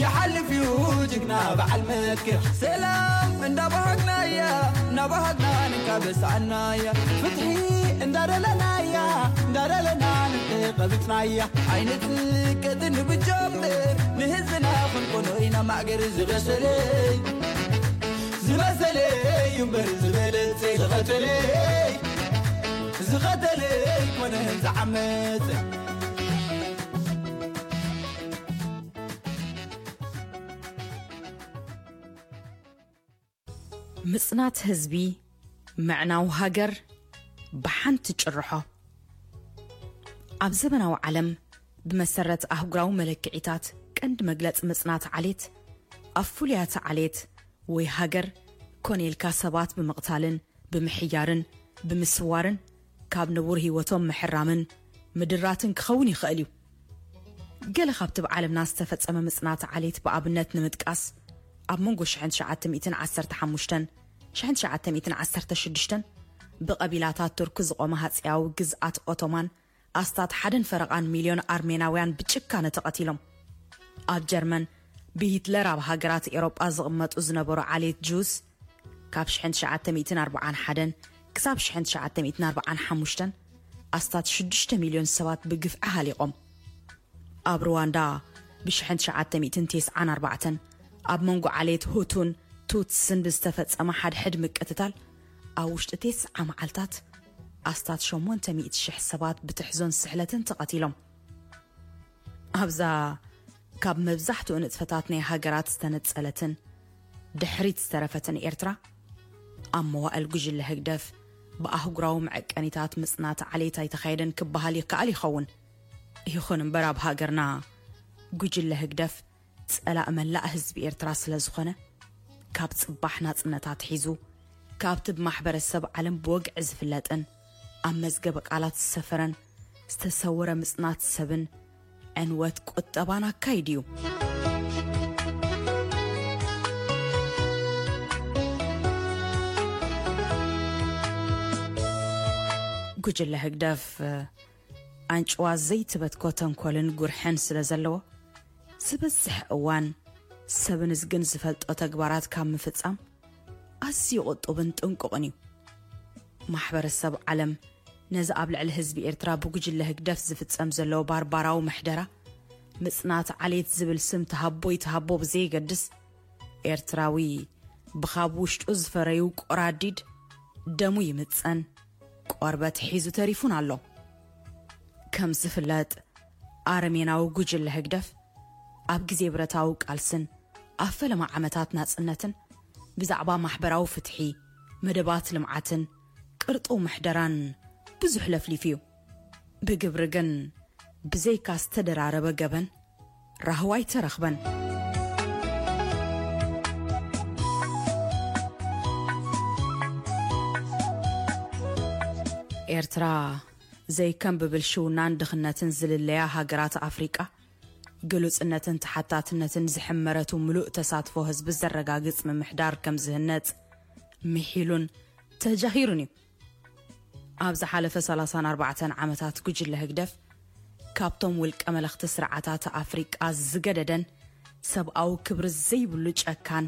ይሓልፍ እዩ ጅግና በዓል መትከል። ሰላም እንዳባሃግናያ፣ እንዳባሃግና ንካበሳናያ። ፍትሒ እንዳደለናያ፣ እንዳደለና ንተቐቢጽናያ። ኣይንትቀትን ብጀምር፣ ንህዝብና ክንኮኖ ኢና ማዕገር ዝበሰለይ። ዝበሰለይ እምበር ዝበለጸ ዝቐተለይ፣ ዝቐተለይ ኮነ ዝዓመጸ። ምጽናት ህዝቢ፣ ምዕናው ሃገር ብሓንቲ ጭርሖ። ኣብ ዘበናዊ ዓለም፣ ብመሰረት ኣህጉራዊ መለክዒታት፣ ቀንዲ መግለጺ ምጽናት ዓሌት፣ ኣብ ፍሉያት ዓሌት ወይ ሃገር ኮነ ኢልካ ሰባት ብምቕታልን ብምሕያርን ብምስዋርን ካብ ንቡር ህይወቶም ምሕራምን ምድራትን ክኸውን ይኽእል እዩ። ገለ ካብቲ ኣብ ዓለምና ዝተፈጸመ ምጽናት ዓሌት ብኣብነት ንምጥቃስ፣ ኣብ መንጎ ሽሕን ትሽዓተ ሚእትን ዓሰርተ ሓሙሽተን ሽሕን ትሽዓተ ሚእትን ዓሰርተ ሽዱሽተን ብቐቢላታት ቱርክ ዝቖመ ሃጺያዊ ግዝኣት ኦቶማን ኣስታት ሓደን ፈረቓን ሚልዮን ኣርሜናውያን ብጭካነ ተቐቲሎም። ኣብ ጀርመን ብሂትለር ኣብ ሃገራት ኤውሮጳ ዝቕመጡ ዝነበሩ ዓሌት ጁስ ካብ ሽሕን ትሽዓተ ሚእትን ኣርባዓን ሓደን ክሳብ ሽሕን ትሽዓተ ሚእትን ኣርባዓን ሓሙሽተን ኣስታት ሽዱሽተ ሚልዮን ሰባት ብግፍዒ ሃሊቖም። ኣብ ሩዋንዳ ብሽሕን ትሽዓተ ሚእትን ተስዓን ኣርባዕተን ኣብ መንጎ ዓሌት ሁቱን ቱትስን ብዝተፈጸመ ሓድሕድ ምቅትታል ኣብ ውሽጢ ተስዓ መዓልታት ኣስታት ሸሞንተ ሚእቲ ሽሕ ሰባት ብትሕዞን ስሕለትን ተቐቲሎም። ኣብዛ ካብ መብዛሕትኡ ንጥፈታት ናይ ሃገራት ዝተነጸለትን ድሕሪት ዝተረፈትን ኤርትራ፣ ኣብ መዋእል ጉጅለ ህግደፍ ብኣህጉራዊ መዐቀኒታት ምጽናት ዓሌት ኣይተኻየደን ክበሃል ይከኣል ይኸውን። ይኹን እምበር ኣብ ሃገርና ጉጅለ ህግደፍ ጸላእ መላእ ህዝቢ ኤርትራ ስለ ዝኾነ፣ ካብ ጽባሕ ናጽነት ኣትሒዙ፣ ካብቲ ብማሕበረሰብ ዓለም ብወግዒ ዝፍለጥን ኣብ መዝገበ ቃላት ዝሰፈረን ዝተሰወረ ምጽናት ሰብን ዕንወት ቁጠባን ኣካይዱ እዩ። ጉጅለ ህግደፍ ኣንጭዋ ዘይትበትኮ ተንኮልን ጉርሕን ስለ ዘለዎ፣ ዝበዝሕ እዋን ሰብን እዝግን ዝፈልጦ ተግባራት ካብ ምፍጻም ኣዝዩ ቁጡብን ጥንቁቕን እዩ። ማሕበረሰብ ዓለም ነዚ ኣብ ልዕሊ ህዝቢ ኤርትራ ብጉጅለ ህግደፍ ዝፍጸም ዘሎ ባርባራዊ ምሕደራ፣ ምጽናት ዓሌት ዝብል ስም ተሃቦ ይተሃቦ ብዘየገድስ፣ ኤርትራዊ ብኻብ ውሽጡ ዝፈረዩ ቆራዲድ ደሙ ይምጸን፣ ቆርበት ሒዙ ተሪፉን ኣሎ። ከም ዝፍለጥ፣ ኣረሜናዊ ጉጅለ ህግደፍ ኣብ ግዜ ብረታዊ ቃልስን ኣብ ፈለማ ዓመታት ናጽነትን ብዛዕባ ማሕበራዊ ፍትሒ፣ መደባት ልምዓትን ቅርጡው ምሕደራን ብዙሕ ለፍሊፉ እዩ። ብግብሪ ግን ብዘይካ ዝተደራረበ ገበን ራህዋ ኣይተረኽበን። ኤርትራ ዘይከም ብብልሽውናን ድኽነትን ዝልለያ ሃገራት ኣፍሪቃ፣ ግሉጽነትን ተሓታትነትን ዝሕመረቱ ምሉእ ተሳትፎ ህዝቢ ዘረጋግጽ ምምሕዳር ከም ዝህነጽ ምሒሉን ተጃሂሩን እዩ። ኣብ ዝሓለፈ ሰላሳን ኣርባዕተን ዓመታት ጉጅለ ህግደፍ ካብቶም ውልቀ መለኽቲ ስርዓታት ኣፍሪቃ ዝገደደን ሰብኣዊ ክብሪ ዘይብሉ ጨካን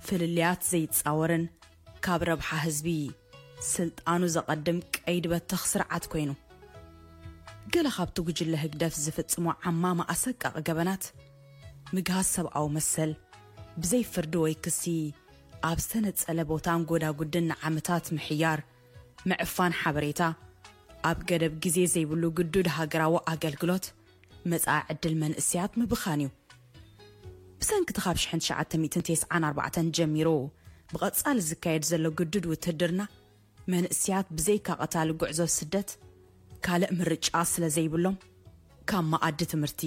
ፍልልያት ዘይጻወርን ካብ ረብሓ ህዝቢ ስልጣኑ ዘቐድም ቀይዲ በተኽ ስርዓት ኮይኑ። ገለ ካብቲ ጉጅለ ህግደፍ ዝፍጽሞ ዓማማ ኣሰቃቂ ገበናት፣ ምግሃስ ሰብኣዊ መሰል፣ ብዘይ ፍርዲ ወይ ክሲ ኣብ ዝተነጸለ ቦታን ጎዳጉድን ንዓመታት ምሕያር፣ ምዕፋን ሓበሬታ፣ ኣብ ገደብ ግዜ ዘይብሉ ግዱድ ሃገራዊ ኣገልግሎት፣ መጻኢ ዕድል መንእስያት ምብኻን እዩ። ብሰንኪ እቲ ካብ ሽሕን ትሽዓተ ሚእትን ተስዓን ኣርባዕተን ጀሚሩ ብቐጻሊ ዝካየድ ዘሎ ግዱድ ውትድርና፣ መንእስያት ብዘይካ ቀታሊ ጉዕዞ ስደት ካልእ ምርጫ ስለ ዘይብሎም፣ ካብ መኣዲ ትምህርቲ፣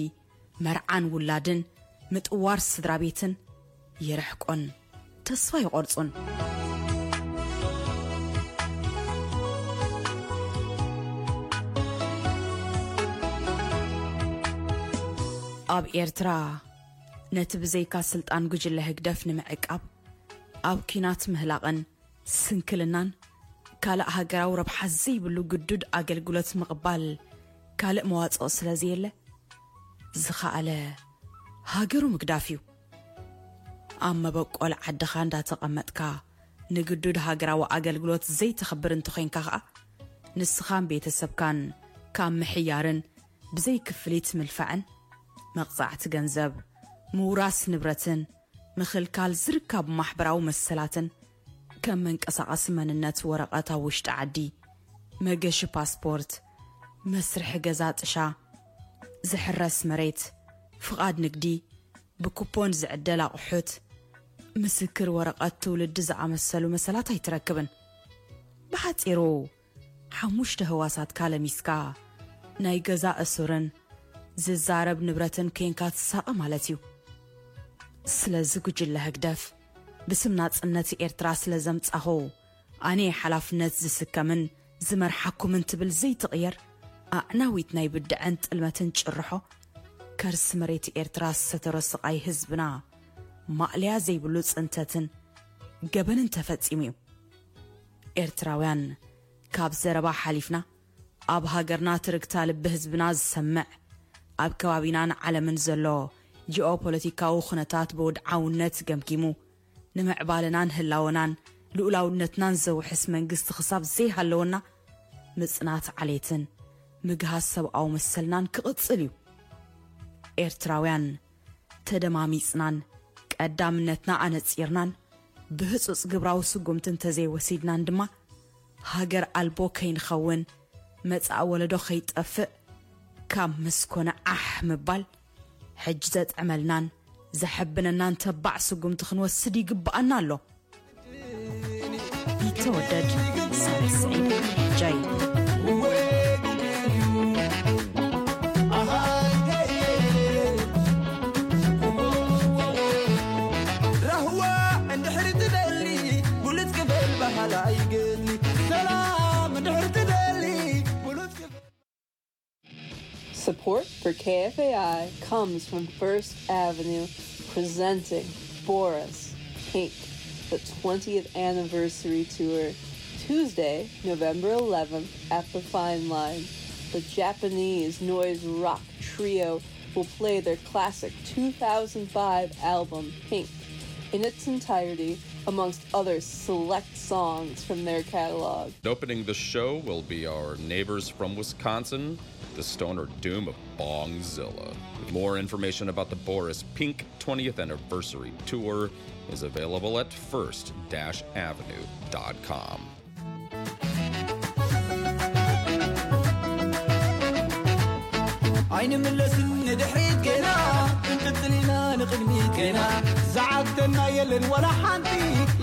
መርዓን ውላድን፣ ምጥዋር ስድራ ቤትን ይርሕቆን ተስፋ ይቖርጹን። ኣብ ኤርትራ ነቲ ብዘይካ ስልጣን ጉጅለ ህግደፍ ንምዕቃብ ኣብ ኲናት ምህላቕን ስንክልናን ካልእ ሃገራዊ ረብሓ ዘይብሉ ግዱድ ኣገልግሎት ምቕባል ካልእ መዋጽኦ ስለ ዘየለ፣ ዝኸኣለ ሃገሩ ምግዳፍ እዩ። ኣብ መበቆል ዓድኻ እንዳተቐመጥካ ንግዱድ ሃገራዊ ኣገልግሎት ዘይተኽብር እንተኾይንካ ኸኣ፣ ንስኻን ቤተሰብካን ካብ ምሕያርን ብዘይ ክፍሊት ምልፋዕን፣ መቕጻዕቲ ገንዘብ፣ ምውራስ ንብረትን ምኽልካል ዝርካቡ ማሕበራዊ መሰላትን፣ ከም መንቀሳቐሲ መንነት ወረቐት ኣብ ውሽጢ ዓዲ፣ መገሺ ፓስፖርት፣ መስርሒ ገዛ ጥሻ፣ ዝሕረስ መሬት፣ ፍቓድ ንግዲ፣ ብኩፖን ዝዕደል ኣቑሑት፣ ምስክር ወረቐት ትውልዲ ዝኣመሰሉ መሰላት ኣይትረክብን። ብሓጺሩ፣ ሓሙሽተ ህዋሳትካ ለሚስካ፣ ናይ ገዛ እሱርን ዝዛረብ ንብረትን ኬንካ ትሳቐ ማለት እዩ። ስለዚ ጉጅለ ህግደፍ፣ ብስም ናጽነት ኤርትራ ስለ ዘምጻኹ፣ ኣነ ሓላፍነት ዝስከምን ዝመርሓኩምን ትብል ዘይትቕየር ኣዕናዊት ናይ ብድዐን ጥልመትን ጭርሖ፣ ከርሲ መሬት ኤርትራ ዝሰተሮ ስቓይ ህዝብና ማእለያ ዘይብሉ ጽንተትን ገበንን ተፈጺሙ እዩ። ኤርትራውያን፣ ካብ ዘረባ ሓሊፍና፣ ኣብ ሃገርና ትርግታ ልቢ ህዝብና ዝሰምዕ፣ ኣብ ከባቢናን ዓለምን ዘሎ ጂኦፖለቲካዊ ኩነታት ብውድዓውነት ገምጊሙ፣ ንምዕባለናን ህላወናን ልኡላውነትናን ዘውሕስ መንግስቲ ክሳብ ዘይሃለወና፣ ምጽናት ዓሌትን ምግሃስ ሰብኣዊ መሰልናን ክቕጽል እዩ። ኤርትራውያን፣ ተደማሚጽናን ቀዳምነትና ኣነጺርናን ብህጹጽ ግብራዊ ስጉምቲ እንተዘይወሲድናን ድማ፣ ሃገር ኣልቦ ከይንኸውን፣ መጻኢ ወለዶ ከይጠፍእ፣ ካብ ምስኮነ ዓሕ ምባል፣ ሕጂ ዘጥዕመልናን ዘሐብነናን ተባዕ ስጉምቲ ክንወስድ ይግብኣና ኣሎ። ቢተወደድ ሳልስ ዒድ ጃይ። ራህዋ እንድሕር ትደሊ፣ ብሉጽ ክበል ባህላ ይገሊ። ሰላም እንድሕር ትደሊ፣ ብሉጽ ክበል። Support for K F A I comes from First Avenue, presenting Boris Pink, the twentieth anniversary tour, Tuesday, November eleventh, at the Fine Line. The Japanese noise rock trio will play their classic two thousand five album, Pink, in its entirety, amongst other select songs from their catalog. Opening the show will be our neighbors from Wisconsin, the Stoner Doom of Bongzilla. More information about the Boris Pink twentieth Anniversary Tour is available at first avenue dot com. ኣይንምለስን ንድሕሪት ገና፣ ክንቅጽል ኢና ንቕድሚት ገና። ዝዓግተና የለን ዋላ ሓንቲ፣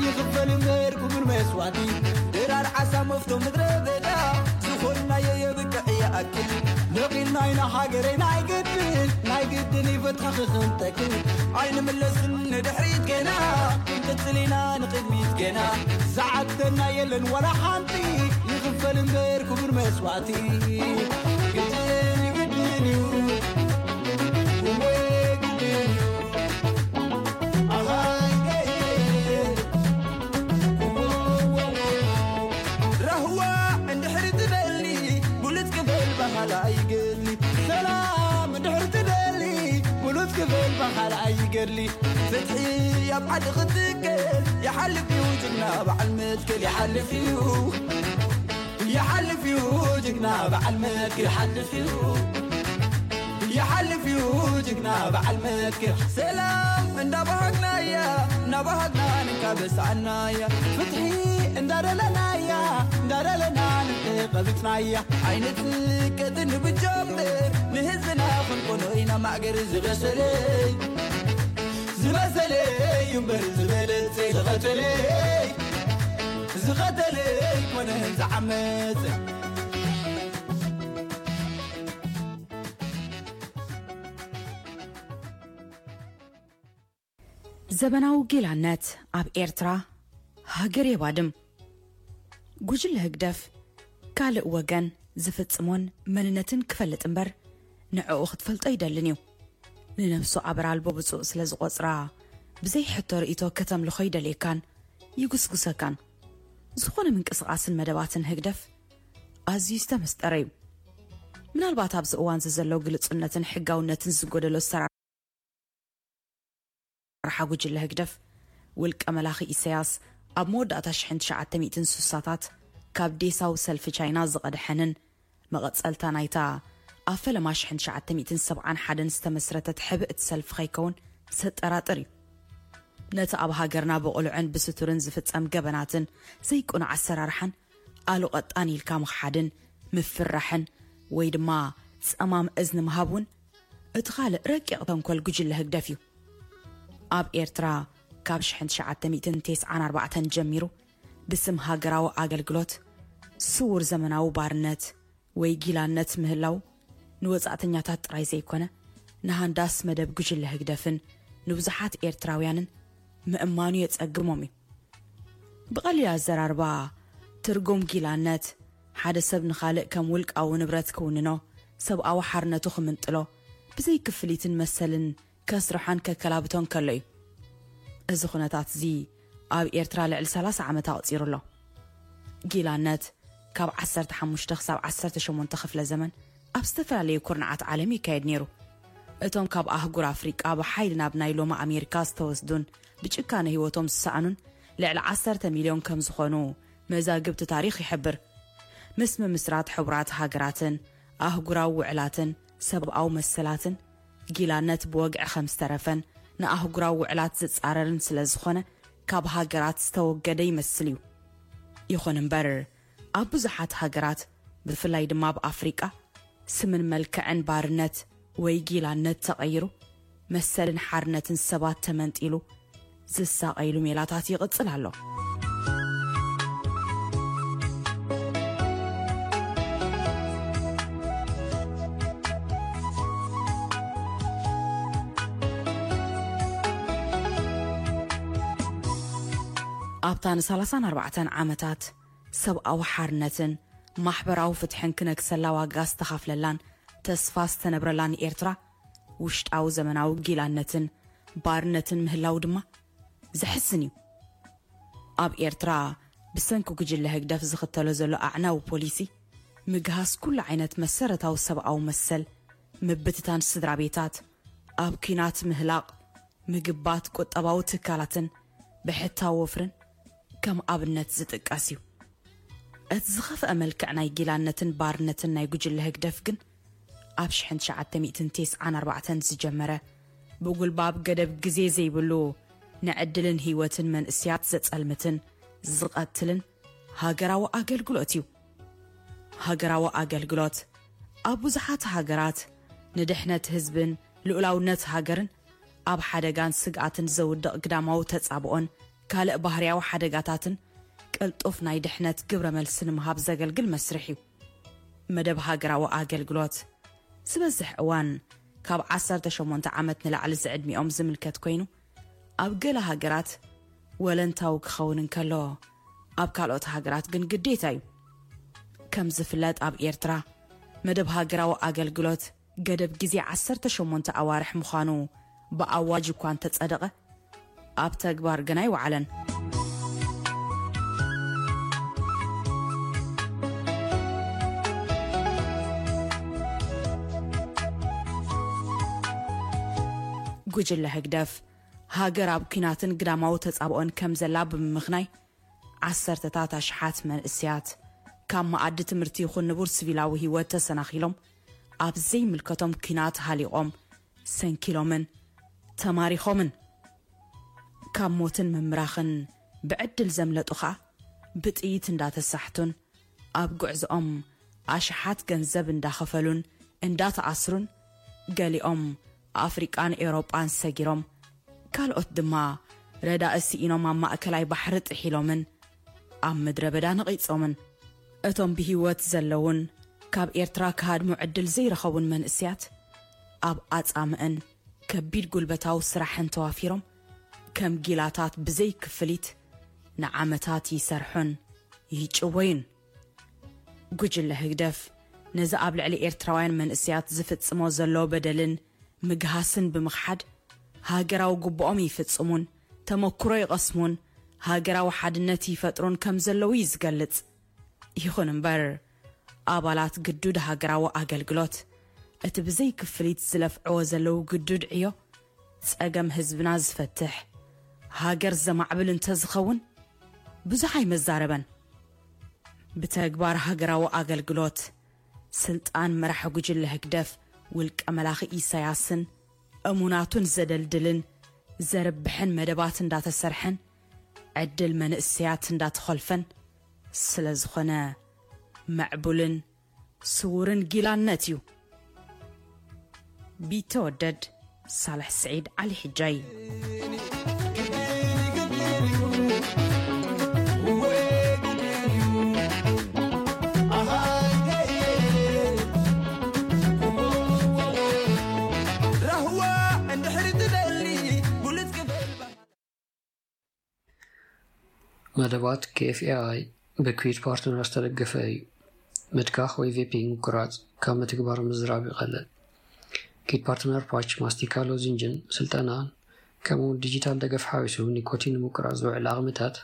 ይኽፈል እምበር ክቡር መስዋእቲ። ድራር ዓሳ መፍቶ ምድረ በዳ፣ ዝኾንናዮ የብቅዕ ይኣክል። ነቒልና ኣይና ሃገረይ ናይ ግድን ናይ ግድን ይፈትሐኺ ክንጠቅም ኣይንምለስን ንድሕሪት ገና ክንቅጽል ኢና ንቕድሚት ገና ዝዓግተና የለን ዋላ ሓንቲ ይኽፈል እምበር ክቡር መስዋእቲ ግድን ግድን እዩ እወ ግድን እዩ ኣሃይ ራህዋ እንድሕሪ ትደሊ ብሉጽ ክብል ባህላ ይገድሊ ሰላም እንድሕሪ ትደሊ ብሉጽ ክብል ባህላ ይገድሊ ፍትሒ ኣብ ዓዲ ክትክል ይሓልፍ እዩ ጅግና በዓል መትከል ይሓልፍ እዩ ይሓልፍ እዩ ጅግና በዓል መትከል ይሓልፍ እዩ ይሓልፍ እዩ ጅግና በዓል መትከል ሰላም እንዳባሃግናያ እንዳባሃግና ንካበሳናያ ፍትሒ እንዳደለናያ እንዳደለና ንተቐብጽናያ ኣይንትቀጥን ብጀምር ንህዝብና ክንኮኖ ኢና ማእገር ዝበሰለይ ዝበሰለይ እምበር ዝበለጸ ዝቐተለይ ዝቐተለይ ኮነ ዝዓመጸ ዘበናዊ ጊላነት ኣብ ኤርትራ ሃገር የባድም። ጉጅለ ህግደፍ ካልእ ወገን ዝፍጽሞን መንነትን ክፈልጥ እምበር ንዕኡ ክትፈልጦ ኣይደልን እዩ። ንነብሱ ኣበር ኣልቦ ብጹእ ስለ ዝቖጽራ ብዘይ ሕቶ ርእይቶ ከተምልኾ ይደልየካን ይጉስጉሰካን። ዝኾነ ምንቅስቓስን መደባትን ህግደፍ ኣዝዩ ዝተመስጠረ እዩ። ምናልባት ኣብዚ እዋን እዚ ዘሎ ግልጹነትን ሕጋውነትን ዝጎደሎ ኣሰራርሓ ጉጅለ ህግደፍ፣ ውልቀ መላኺ ኢሳያስ ኣብ መወዳእታ ሽሕን ትሽዓተ ሚእትን ስሳታት ካብ ዴሳዊ ሰልፊ ቻይና ዝቐድሐንን መቐጸልታ ናይታ ኣብ ፈለማ ሽሕን ትሽዓተ ሚእትን ሰብዓን ሓደን ዝተመስረተት ሕብእቲ ሰልፊ ከይከውን ዘጠራጥር እዩ። ነቲ ኣብ ሃገርና ብቕሉዕን ብስቱርን ዝፍጸም ገበናትን ዘይቅኑዕ ኣሰራርሓን ኣሉ ቀጣን ኢልካ ምኽሓድን ምፍርራሕን ወይ ድማ ጸማም እዝኒ ምሃብ እውን እቲ ካልእ ረቂቕ ተንኮል ጉጅለ ህግደፍ እዩ። ኣብ ኤርትራ ካብ ሽሕን ትሽዓተ ሚእትን ተስዓን ኣርባዕተን ጀሚሩ ብስም ሃገራዊ ኣገልግሎት ስዉር ዘመናዊ ባርነት ወይ ጊላነት ምህላው ንወጻእተኛታት ጥራይ ዘይኮነ ንሃንዳስ መደብ ጉጅለ ህግደፍን ንብዙሓት ኤርትራውያንን ምእማኑ የጸግሞም እዩ። ብቐሊል ኣዘራርባ ትርጉም ጊላነት ሓደ ሰብ ንኻልእ ከም ውልቃዊ ንብረት ክውንኖ፣ ሰብኣዊ ሓርነቱ ክምንጥሎ፣ ብዘይ ክፍሊትን መሰልን ከስርሖን ከከላብቶን ከሎ እዩ። እዚ ኩነታት እዚ ኣብ ኤርትራ ልዕሊ ሰላሳ ዓመት ኣቕጺሩ ኣሎ። ጊላነት ካብ ዓሰርተ ሓሙሽተ ክሳብ ዓሰርተ ሸሞንተ ክፍለ ዘመን ኣብ ዝተፈላለዩ ኩርናዓት ዓለም ይካየድ ነይሩ። እቶም ካብ ኣህጉር ኣፍሪቃ ብሓይሊ ናብ ናይ ሎሚ ኣሜሪካ ዝተወስዱን ብጭካነ ህይወቶም ዝሰኣኑን ልዕሊ ዓሰርተ ሚልዮን ከም ዝኾኑ መዛግብቲ ታሪኽ ይሕብር። ምስ ምምስራት ሕቡራት ሃገራትን ኣህጉራዊ ውዕላትን ሰብኣዊ መሰላትን ጊላነት ብወግዒ ከም ዝተረፈን ንኣህጉራዊ ውዕላት ዝጻረርን ስለ ዝኾነ ካብ ሃገራት ዝተወገደ ይመስል እዩ። ይኹን እምበር ኣብ ብዙሓት ሃገራት ብፍላይ ድማ ኣብ ኣፍሪቃ ስምን መልክዕን ባርነት ወይ ጊላነት ተቐይሩ መሰልን ሓርነትን ሰባት ተመንጢሉ ዝሳቐይሉ ሜላታት ይቕጽል ኣሎ። ኣብታ ንሰላሳን ኣርባዕተን ዓመታት ሰብኣዊ ሓርነትን ማሕበራዊ ፍትሕን ክነግሰላ ዋጋ ዝተኻፍለላን ተስፋ ዝተነብረላን ኤርትራ ውሽጣዊ ዘመናዊ ጊላነትን ባርነትን ምህላው ድማ ዘሕዝን እዩ። ኣብ ኤርትራ ብሰንኪ ጉጅለ ህግደፍ ዝኽተሎ ዘሎ ኣዕናዊ ፖሊሲ ምግሃስ ኩሉ ዓይነት መሰረታዊ ሰብኣዊ መሰል፣ ምብትታን ስድራ ቤታት፣ ኣብ ኲናት ምህላቕ፣ ምግባት ቁጠባዊ ትካላትን ብሕታዊ ወፍርን ከም ኣብነት ዝጥቀስ እዩ። እቲ ዝኸፍአ መልክዕ ናይ ጊላነትን ባርነትን ናይ ጉጅለ ህግደፍ ግን ኣብ ሽሕን ትሽዓተ ሚእትን ተስዓን ኣርባዕተን ዝጀመረ ብጉልባብ ገደብ ግዜ ዘይብሉ ንዕድልን ህይወትን መንእስያት ዘጸልምትን ዝቐትልን ሃገራዊ ኣገልግሎት እዩ። ሃገራዊ ኣገልግሎት ኣብ ብዙሓት ሃገራት ንድሕነት ህዝብን ልኡላውነት ሃገርን ኣብ ሓደጋን ስግኣትን ዘውድቕ ግዳማዊ ተጻብኦን ካልእ ባህርያዊ ሓደጋታትን ቅልጡፍ ናይ ድሕነት ግብረ መልሲ ንምሃብ ዘገልግል መስርሕ እዩ። መደብ ሃገራዊ ኣገልግሎት ዝበዝሕ እዋን ካብ ዓሰርተ ሸሞንተ ዓመት ንላዕሊ ዝዕድሚኦም ዝምልከት ኮይኑ፣ ኣብ ገለ ሃገራት ወለንታዊ ክኸውን እንከሎ፣ ኣብ ካልኦት ሃገራት ግን ግዴታ እዩ። ከም ዝፍለጥ፣ ኣብ ኤርትራ መደብ ሃገራዊ ኣገልግሎት ገደብ ግዜ ዓሰርተ ሸሞንተ ኣዋርሕ ምዃኑ ብኣዋጅ እኳ እንተጸደቐ፣ ኣብ ተግባር ግን ኣይወዓለን። ጉጅለ ህግደፍ፣ ሃገር ኣብ ኲናትን ግዳማዊ ተጻብኦን ከም ዘላ ብምምኽናይ፣ ዓሰርተታት ኣሽሓት መንእሰያት ካብ መኣዲ ትምህርቲ ይኹን ንቡር ሲቪላዊ ህይወት ተሰናኺሎም፣ ኣብ ዘይምልከቶም ኲናት ሃሊቖም፣ ሰንኪሎምን ተማሪኾምን። ካብ ሞትን ምምራኽን ብዕድል ዘምለጡ ኸኣ፣ ብጥይት እንዳተሳሕቱን ኣብ ጉዕዞኦም ኣሽሓት ገንዘብ እንዳኸፈሉን እንዳተኣስሩን፣ ገሊኦም ኣፍሪቃን ኤውሮጳን ሰጊሮም፣ ካልኦት ድማ ረዳኢ ስኢኖም ኣብ ማእከላይ ባሕሪ ጥሒሎምን ኣብ ምድረ በዳ ነቒጾምን። እቶም ብህይወት ዘለውን ካብ ኤርትራ ክሃድሙ ዕድል ዘይረኸቡን መንእሰያት፣ ኣብ ኣጻምእን ከቢድ ጉልበታዊ ስራሕን ተዋፊሮም፣ ከም ጊላታት ብዘይ ክፍሊት ንዓመታት ይሰርሑን ይጭወዩን። ጉጅለ ህግደፍ ነዚ ኣብ ልዕሊ ኤርትራውያን መንእሰያት ዝፍጽሞ ዘሎ በደልን ምግሃስን ብምኽሓድ፣ ሃገራዊ ግቡኦም ይፍጽሙን ተመክሮ ይቐስሙን ሃገራዊ ሓድነት ይፈጥሩን ከም ዘለዉ እዩ ዝገልጽ። ይኹን እምበር፣ ኣባላት ግዱድ ሃገራዊ ኣገልግሎት፣ እቲ ብዘይ ክፍሊት ዝለፍዕዎ ዘለዉ ግዱድ ዕዮ፣ ጸገም ህዝብና ዝፈትሕ፣ ሃገር ዘማዕብል እንተዝኸውን፣ ብዙሕ ኣይመዛረበን። ብተግባር ሃገራዊ ኣገልግሎት፣ ስልጣን መራሒ ጉጅለ ህግደፍ ውልቀ መላኺ ኢሳያስን እሙናቱን ዘደልድልን ዘርብሕን መደባት እንዳተሰርሐን፣ ዕድል መንእሰያት እንዳተኾልፈን ስለ ዝኾነ፣ ምዕቡልን ስዉርን ጊላነት እዩ። ቢተወደድ ሳልሕ ስዒድ ዓሊ ሕጃይ። መደባት ኬኤፍኤኣይ ብኪዊት ፓርትነር ዝተደገፈ እዩ። ምትካኽ ወይ ቬፒንግ ምቁራጽ ካብ ምትግባር ምዝራብ ይቐልል። ኪዊት ፓርትነር ፓች፣ ማስቲካ፣ ሎዚንጅን ስልጠናን፣ ከምኡውን ዲጂታል ደገፍ ሓዊሱ ኒኮቲን ንምቁራጽ ዝውዕል ዓቕምታት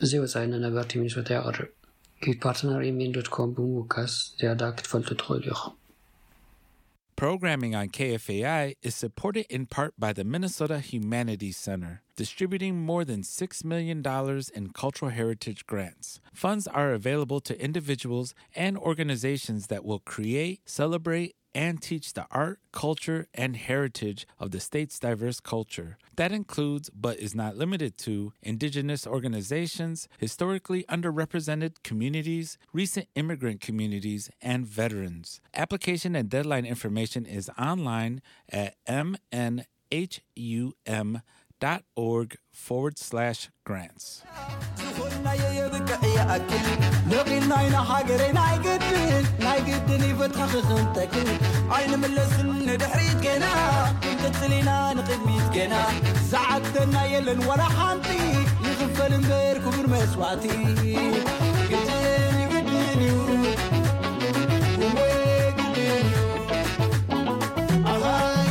ብዘይ ወጻኢ ንነበርቲ ሚኒሶታ የቕርብ። ኪዊት ፓርትነር ኤምኤን ዶት ኮም ብምውካስ ዝያዳ ክትፈልጡ ትኽእሉ ኢኹም። Programming on K F A I is supported in part by the Minnesota Humanities Center, distributing more than six million dollars in cultural heritage grants. Funds are available to individuals and organizations that will create, celebrate, and teach the art, culture, and heritage of the state's diverse culture. That includes, but is not limited to, indigenous organizations, historically underrepresented communities, recent immigrant communities, and veterans. Application and deadline information is online at m n h u m dot org forward slash grants. ዝኾንናዮ የብቅዕ ይኣክል ነቒልና ኢና ሃገረይ ናይ ግድን ናይ ግድን ይፈትሓኺ ክንተክል ኣይንምለስን ንድሕሪት ገና ክንቅጽል ኢና ንቕድሚት ገና ዝዓግተና የለን ዋላ ሓንቲ ይኽፈል እምበር ክቡር መስዋእቲ ግድን ግድን እዩ እወ ግድን እዩ ኣሃይ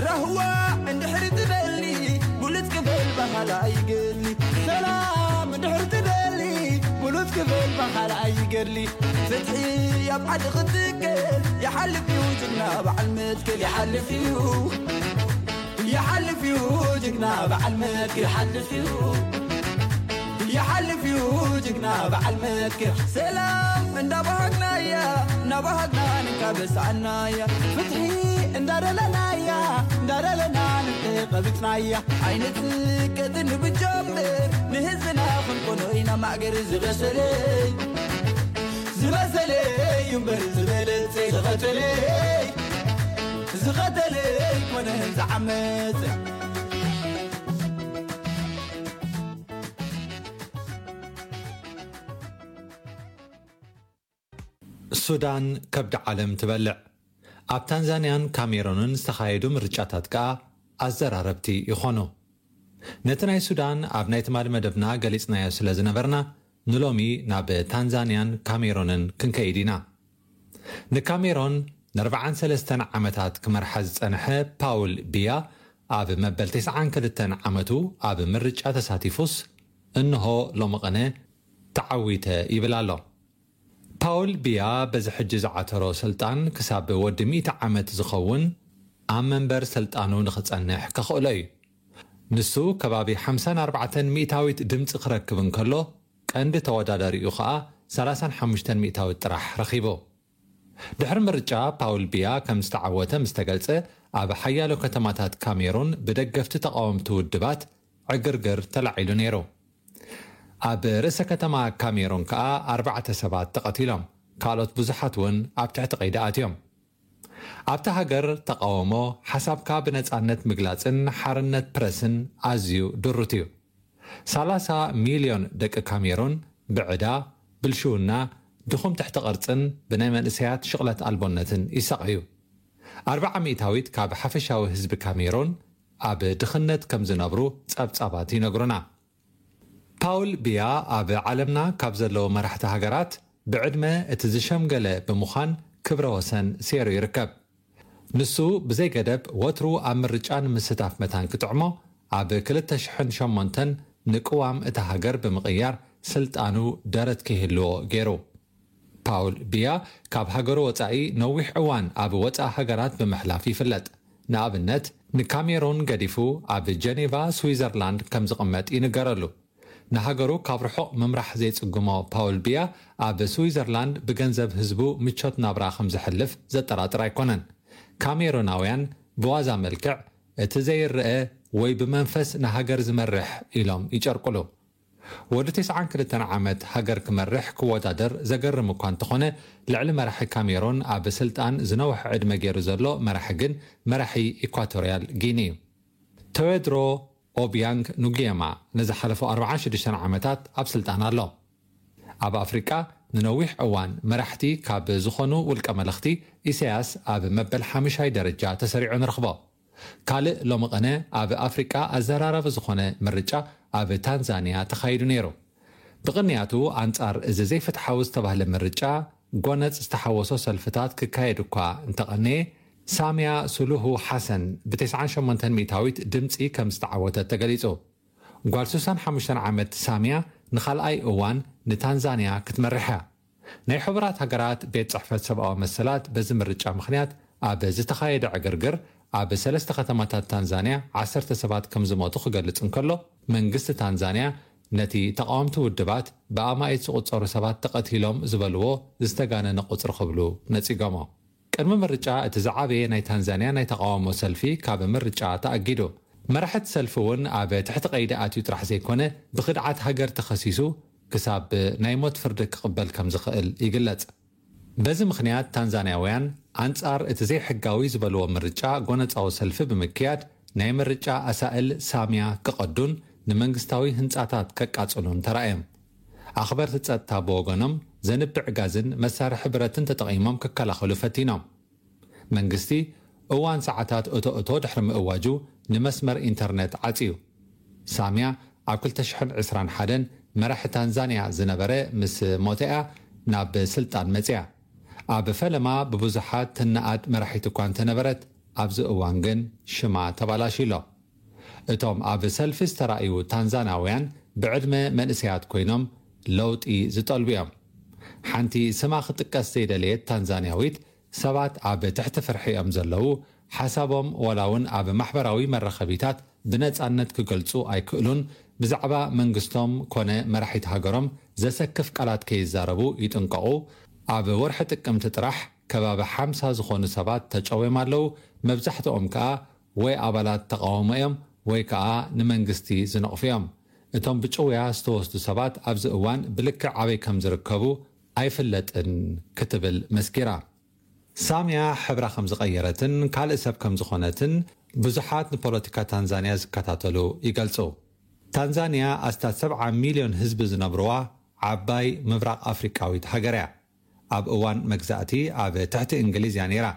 ራህዋ እንድሕሪ ትደሊ ብሉጽ ክብል ባህላ ኣይገድሊ ሰላም እንድሕሪ ትደሊ ብሉጽ ክብል ባህላ ኣይገድሊ ፍትሒ ኣብ ዓዲ ክትክል ይሓልፍ እዩ ጅግና በዓል መትክል ይሓልፍ እዩ ይሓልፍ እዩ ጅግና በዓል መትክል ይሓልፍ እዩ ይሓልፍ እዩ ጅግና በዓል መትክል ሰላም እንዳባሃግናያ እንዳባሃግና ንካበሳናያ ፍትሒ እንዳደለናያ እንዳደለና ንተቐቢጽናያ ኣይንትቀጥን ብጀምር ንህዝብና ክንኮኖ ኢና ማእገር ዝበሰለይ ዝበሰለይ እምበር ዝበለጸ ዝቐተለይ ዝቐተለይ ኮነ ዝዓመጸ ሱዳን ከብዲ ዓለም ትበልዕ። ኣብ ታንዛንያን ካሜሮንን ዝተኻየዱ ምርጫታት ከኣ ኣዘራረብቲ ይኾኑ። ነቲ ናይ ሱዳን ኣብ ናይ ትማሊ መደብና ገሊጽናዮ ስለ ዝነበርና፣ ንሎሚ ናብ ታንዛንያን ካሜሮንን ክንከይድ ኢና። ንካሜሮን ንኣርባዓን ሰለስተን ዓመታት ክመርሓ ዝጸንሐ ፓውል ቢያ፣ ኣብ መበል ተስዓን ክልተን ዓመቱ ኣብ ምርጫ ተሳቲፉስ፣ እንሆ ሎሚ ቅነ ተዓዊተ ይብል ኣሎ። ፓውል ቢያ በዚ ሕጂ ዝዓተሮ ስልጣን ክሳብ ወዲ ሚእቲ ዓመት ዝኸውን ኣብ መንበር ስልጣኑ ንኽጸንሕ ከኽእሎ እዩ። ንሱ ከባቢ ሓምሳን ኣርባዕተን ሚእታዊት ድምጺ ክረክብ እንከሎ፣ ቀንዲ ተወዳዳሪኡ ኸኣ ሰላሳን ሓሙሽተን ሚእታዊት ጥራሕ ረኺቡ። ድሕሪ ምርጫ ፓውል ቢያ ከም ዝተዓወተ ምስ ተገልጸ፣ ኣብ ሓያሎ ከተማታት ካሜሩን ብደገፍቲ ተቓወምቲ ውድባት ዕግርግር ተላዒሉ ነይሩ። ኣብ ርእሰ ከተማ ካሜሩን ከኣ ኣርባዕተ ሰባት ተቐቲሎም፣ ካልኦት ብዙሓት እውን ኣብ ትሕቲ ቀይዲ ኣትዮም። ኣብታ ሃገር ተቓውሞ፣ ሓሳብካ ብነጻነት ምግላጽን ሓርነት ፕረስን ኣዝዩ ድሩት እዩ። ሰላሳ ሚልዮን ደቂ ካሜሩን ብዕዳ፣ ብልሽውና፣ ድኹም ትሕቲ ቅርጽን ብናይ መንእሰያት ሽቕለት ኣልቦነትን ይሳቐዩ። ኣርብዓ ሚእታዊት ካብ ሓፈሻዊ ህዝቢ ካሜሩን ኣብ ድኽነት ከም ዝነብሩ ጸብጻባት ይነግሩና። ፓውል ቢያ ኣብ ዓለምና ካብ ዘለዉ መራሕቲ ሃገራት ብዕድመ እቲ ዝሸምገለ ብምዃን ክብረ ወሰን ሴሩ ይርከብ። ንሱ ብዘይ ገደብ ወትሩ ኣብ ምርጫ ንምስታፍ መታን ክጥዕሞ፣ ኣብ ክልተ ሽሕን ሸሞንተን ንቅዋም እታ ሃገር ብምቕያር ስልጣኑ ደረት ክህልዎ ገይሩ። ፓውል ቢያ ካብ ሃገሩ ወጻኢ ነዊሕ እዋን ኣብ ወጻኢ ሃገራት ብምሕላፍ ይፍለጥ። ንኣብነት፣ ንካሜሩን ገዲፉ ኣብ ጀኔቫ ስዊዘርላንድ ከም ዝቕመጥ ይንገረሉ። ንሃገሩ ካብ ርሑቕ ምምራሕ ዘይጽግሞ ፓውል ቢያ፣ ኣብ ስዊዘርላንድ ብገንዘብ ህዝቡ ምቾት ናብራ ከም ዝሕልፍ ዘጠራጥር ኣይኮነን። ካሜሩናውያን ብዋዛ መልክዕ፣ እቲ ዘይረኣ ወይ ብመንፈስ ንሃገር ዝመርሕ ኢሎም ይጨርቁሉ። ወዲ ተስዓን ክልተን ዓመት ሃገር ክመርሕ ክወዳደር ዘገርም እኳ እንተኾነ፣ ልዕሊ መራሒ ካሜሩን ኣብ ስልጣን ዝነውሐ ዕድመ ገይሩ ዘሎ መራሒ ግን መራሒ ኢኳቶርያል ጊኒ እዩ። ቴዎድሮ ኦቢያንግ ኑጊየማ ንዝሓለፉ ኣርባዓን ሽዱሽተን ዓመታት ኣብ ስልጣን ኣሎ። ኣብ ኣፍሪቃ ንነዊሕ እዋን መራሕቲ ካብ ዝኾኑ ውልቀ መለኽቲ፣ ኢሳያስ ኣብ መበል ሓምሻይ ደረጃ ተሰሪዑ ንረኽቦ። ካልእ ሎሚ ቅነ ኣብ ኣፍሪቃ ኣዘራራቢ ዝኾነ ምርጫ ኣብ ታንዛንያ ተኻይዱ ነይሩ። ብቕንያቱ ኣንጻር እዚ ዘይፍትሓዊ ዝተባህለ ምርጫ ጎነጽ ዝተሓወሶ ሰልፍታት ክካየድ እኳ እንተቐነየ፣ ሳምያ ሱሉሁ ሓሰን ብተስዓን ሸሞንተን ሚእታዊት ድምጺ ከም ዝተዓወተት ተገሊጹ። ጓል ስሳን ሓሙሽተን ዓመት ሳምያ ንኻልኣይ እዋን ንታንዛንያ ክትመርሕ እያ። ናይ ሕቡራት ሃገራት ቤት ጽሕፈት ሰብኣዊ መሰላት በዚ ምርጫ ምኽንያት ኣብ ዝተኻየደ ዕግርግር ኣብ ሰለስተ ከተማታት ታንዛንያ ዓሰርተ ሰባት ከም ዝሞቱ ክገልጽ እንከሎ፣ መንግስቲ ታንዛንያ ነቲ ተቓወምቲ ውድባት ብኣማኢት ዝቑጸሩ ሰባት ተቐቲሎም ዝበልዎ ዝተጋነነ ቁጽሪ ክብሉ ነጺጎሞ። ቅድሚ ምርጫ እቲ ዝዓበየ ናይ ታንዛንያ ናይ ተቓውሞ ሰልፊ ካብ ምርጫ ተኣጊዱ። መራሕቲ ሰልፊ እውን ኣብ ትሕቲ ቀይዲ ኣትዩ ጥራሕ ዘይኮነ፣ ብኽድዓት ሃገር ተኸሲሱ ክሳብ ናይ ሞት ፍርዲ ክቕበል ከም ዝኽእል ይግለጽ። በዚ ምኽንያት ታንዛንያውያን ኣንጻር እቲ ዘይሕጋዊ ዝበልዎ ምርጫ ጎነጻዊ ሰልፊ ብምክያድ ናይ ምርጫ ኣሳእል ሳምያ ክቐዱን ንመንግስታዊ ህንጻታት ከቃጽሉን ተራእዮም። ኣኽበርቲ ጸጥታ ብወገኖም ዘንብዕ ጋዝን መሳርሒ ብረትን ተጠቒሞም ክከላኸሉ ፈቲኖም። መንግስቲ እዋን ሰዓታት እቶ እቶ ድሕሪ ምእዋጁ ንመስመር ኢንተርነት ዓጽዩ። ሳምያ ኣብ ክልተ ሽሕን ዕስራን ሓደን መራሒ ታንዛንያ ዝነበረ ምስ ሞተኣ ናብ ስልጣን መጽያ። ኣብ ፈለማ ብብዙሓት ትነኣድ መራሒት እኳ እንተነበረት፣ ኣብዚ እዋን ግን ሽማ ተባላሽሎ። እቶም ኣብ ሰልፊ ዝተራእዩ ታንዛናውያን ብዕድመ መንእሰያት ኮይኖም ለውጢ ዝጠልቡ እዮም። ሓንቲ ስማ ክጥቀስ ዘይደለየት ታንዛንያዊት፣ ሰባት ኣብ ትሕቲ ፍርሒ እዮም ዘለዉ፣ ሓሳቦም ዋላ እውን ኣብ ማሕበራዊ መራኸቢታት ብነጻነት ክገልጹ ኣይክእሉን፣ ብዛዕባ መንግስቶም ኮነ መራሒት ሃገሮም ዘሰክፍ ቃላት ከይዛረቡ ይጥንቀቑ። ኣብ ወርሒ ጥቅምቲ ጥራሕ ከባቢ ሓምሳ ዝኾኑ ሰባት ተጨውዮም ኣለዉ፣ መብዛሕትኦም ከኣ ወይ ኣባላት ተቓውሞ እዮም ወይ ከኣ ንመንግስቲ ዝነቕፉ እዮም። እቶም ብጭውያ ዝተወስዱ ሰባት ኣብዚ እዋን ብልክዕ ኣበይ ከም ዝርከቡ ኣይፍለጥን ክትብል መስኪራ። ሳምያ ሕብራ ከም ዝቐየረትን ካልእ ሰብ ከም ዝኾነትን ብዙሓት ንፖለቲካ ታንዛንያ ዝከታተሉ ይገልጹ። ታንዛንያ ኣስታት ሰብዓ ሚልዮን ህዝቢ ዝነብርዋ ዓባይ ምብራቕ ኣፍሪቃዊት ሃገር እያ። ኣብ እዋን መግዛእቲ ኣብ ትሕቲ እንግሊዝ እያ ነይራ።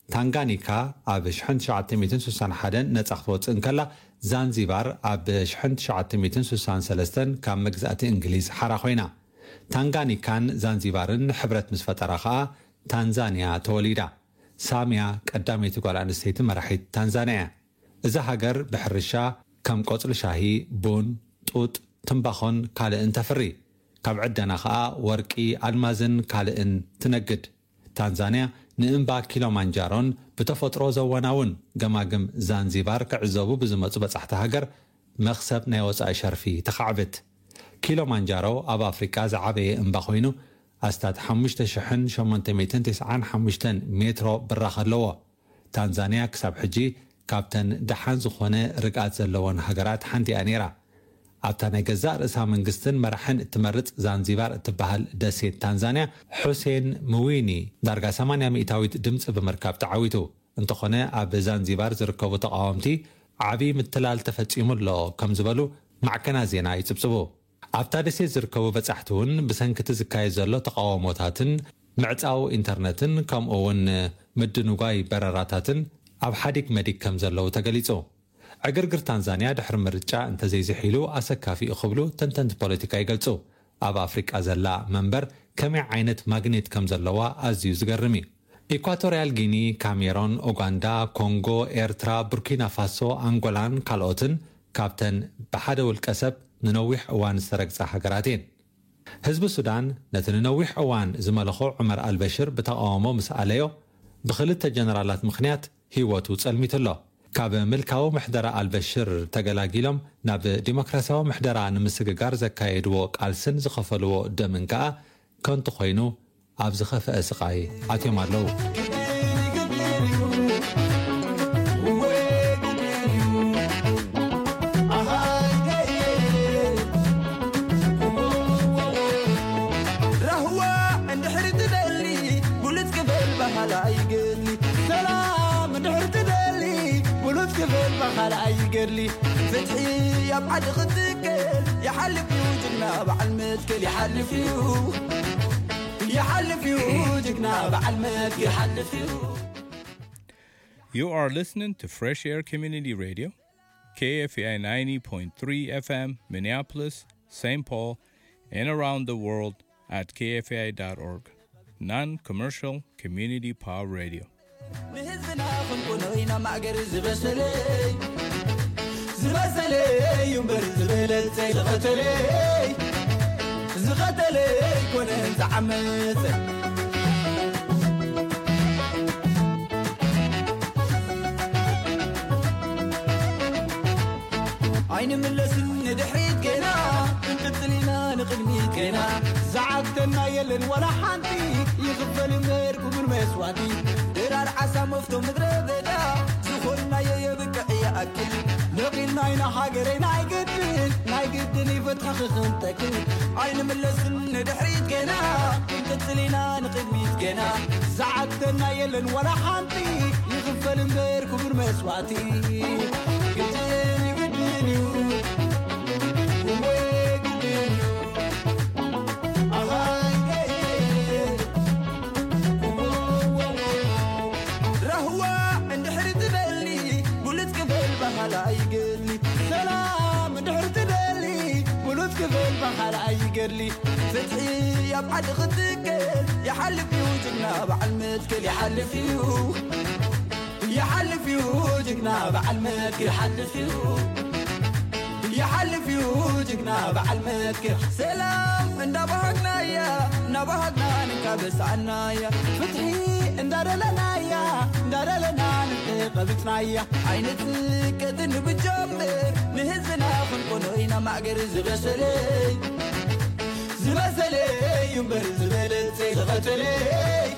ታንጋኒካ ኣብ ሽሕን ትሽዓተ ሚእትን ስሳን ሓደን ነጻ ክትወጽእ እንከላ፣ ዛንዚባር ኣብ ሽሕን ትሽዓተ ሚእትን ስሳን ሰለስተን ካብ መግዛእቲ እንግሊዝ ሓራ ኮይና። ታንጋኒካን ዛንዚባርን ሕብረት ምስ ፈጠራ ከኣ ታንዛንያ ተወሊዳ። ሳምያ ቀዳመይቲ ጓል ኣንስተይቲ መራሒት ታንዛንያ እያ። እዛ ሃገር ብሕርሻ ከም ቆጽሊ ሻሂ፣ ቡን፣ ጡጥ፣ ትምባኾን ካልእን ተፍሪ። ካብ ዕደና ከኣ ወርቂ፣ ኣልማዝን ካልእን ትነግድ። ታንዛንያ ንእምባ ኪሎማንጃሮን ብተፈጥሮ ዘወናውን ገማግም ዛንዚባር ክዕዘቡ ብዝመጹ በጻሕቲ ሃገር መኽሰብ ናይ ወጻኢ ሸርፊ ተኻዕብት። ኪሎማንጃሮ ኣብ ኣፍሪቃ ዝዓበየ እምባ ኮይኑ ኣስታት ሓሙሽተ ሽሕን ሸሞንተ ሚእትን ተስዓን ሓሙሽተን ሜትሮ ብራኽ ኣለዎ። ታንዛንያ ክሳብ ሕጂ ካብተን ደሓን ዝኾነ ርግኣት ዘለወን ሃገራት ሓንቲ እያ ነይራ። ኣብታ ናይ ገዛእ ርእሳ መንግስትን መራሕን እትመርጽ ዛንዚባር እትበሃል ደሴት ታንዛንያ፣ ሑሴን ምዊኒ ዳርጋ ሰማንያ ሚእታዊት ድምጺ ብምርካብ ተዓዊቱ። እንተኾነ ኣብ ዛንዚባር ዝርከቡ ተቓወምቲ ዓቢ ምትላል ተፈጺሙ ኣሎ ከም ዝበሉ ማዕከናት ዜና ይጽብጽቡ። ኣብታ ደሴት ዝርከቡ በጻሕቲ እውን ብሰንኪ እቲ ዝካየድ ዘሎ ተቓውሞታትን ምዕጻው ኢንተርነትን ከምኡ እውን ምድንጓይ በረራታትን ኣብ ሓዲግ መዲግ ከም ዘለዉ ተገሊጹ። ዕግርግር ታንዛንያ ድሕሪ ምርጫ እንተዘይዝሒሉ ኣሰካፊ እዩ ክብሉ ተንተንቲ ፖለቲካ ይገልጹ። ኣብ ኣፍሪቃ ዘላ መንበር ከመይ ዓይነት ማግኔት ከም ዘለዋ ኣዝዩ ዝገርም እዩ። ኢኳቶርያል ጊኒ፣ ካሜሮን፣ ኡጋንዳ፣ ኮንጎ፣ ኤርትራ፣ ቡርኪና ፋሶ፣ ኣንጎላን ካልኦትን ካብተን ብሓደ ውልቀ ሰብ ንነዊሕ እዋን ዝተረግጻ ሃገራት እየን። ህዝቢ ሱዳን ነቲ ንነዊሕ እዋን ዝመለኾ ዑመር ኣልበሽር ብተቓውሞ ምስ ኣለዮ፣ ብኽልተ ጀነራላት ምኽንያት ህይወቱ ጸልሚቱ ኣሎ። ካብ ምልካዊ ምሕደራ ኣልበሽር ተገላጊሎም ናብ ዲሞክራሲያዊ ምሕደራ ንምስግጋር ዘካየድዎ ቃልስን ዝኸፈልዎ ደምን ከኣ ከንቱ ኮይኑ ኣብ ዝኸፍአ ስቓይ ኣትዮም ኣለዉ። ራህዋ እንድሕር ትደሊ ብሉጽ ክበል ባህላ ይገድሊ። ሰላም እንድሕር ትደሊ ብሉጽ ክበል ባህላ ይገድሊ። ፍትሒ ኣብ ዓዲ ክትከል ይሓልፍ እዩ ጅግና በዓል መትከል ይሓልፍ እዩ። ይሓልፍ እዩ ጅግና በዓል መትከል ይሓልፍ እዩ። You are listening to Fresh Air Community Radio, K F A I ninety point three F M, Minneapolis, Saint Paul, and around the world at K F A I dot org. Non commercial community power radio. ንህዝብና ክንኮኖ ኢና ማእገር ዝበሰለይ ዝበሰለይ እዩ እምበር ዝበለጸ ዝቐተለይ ዝቐተለይ ኮነ ዝዓመጸ። ኣይንምለስን ንድሕሪት ገና ክንቅጽል ኢና ንቕድሚት ገና። ዝዓግተና የለን ዋላ ሓንቲ ይኽፈል እምበር ክቡር መስዋእቲ። ድራር ዓሳ መፍቶ ምድረ በዳ ዝኾንናዮ የብቅዕ ይኣክል። ነቒልና ኢና ሃገረይ ናይ ግድን ናይ ግድን ይፈትኻ ክኽንተክል። ኣይንምለስን ንድሕሪት ገና ክንቅጽል ኢና ንቕድሚት ገና። ዝዓግተና የለን ዋላ ሓንቲ ይኽፈል እምበር ክቡር መስዋእቲ። ግድን እዩ ግድን እዩ እወ ግድን እዩ። ኣሃይ ራህዋ እንድሕር ትደሊ ብሉጽ ክበል ባህላ ይገድሊ። ሰላም እንድሕር ትደሊ ብሉጽ ክበል ባህላ ይገድሊ። ፍትሒ ኣብ ዓዲ ክትከል ይሓልፍ እዩ ጅግና በዓል መትከል ይሓልፍ እዩ። ይሓልፍ እዩ ጅግና በዓል መትከል ይሓልፍ እዩ። ይሓልፍ እዩ ጅግና በዓል መትከል። ሰላም እንዳባሃግናያ እናባሃግና ንካበሳናያ። ፍትሒ እንዳደለናያ እንዳደለና ንቀብጽናያ። ኣይንትቀጥን ብጀምር ንህዝብና ክንኮኖ ኢና ማእገር ዝበሰለይ ዝበሰለይ እዩ እምበር ዝበለጸ ዝቐተለይ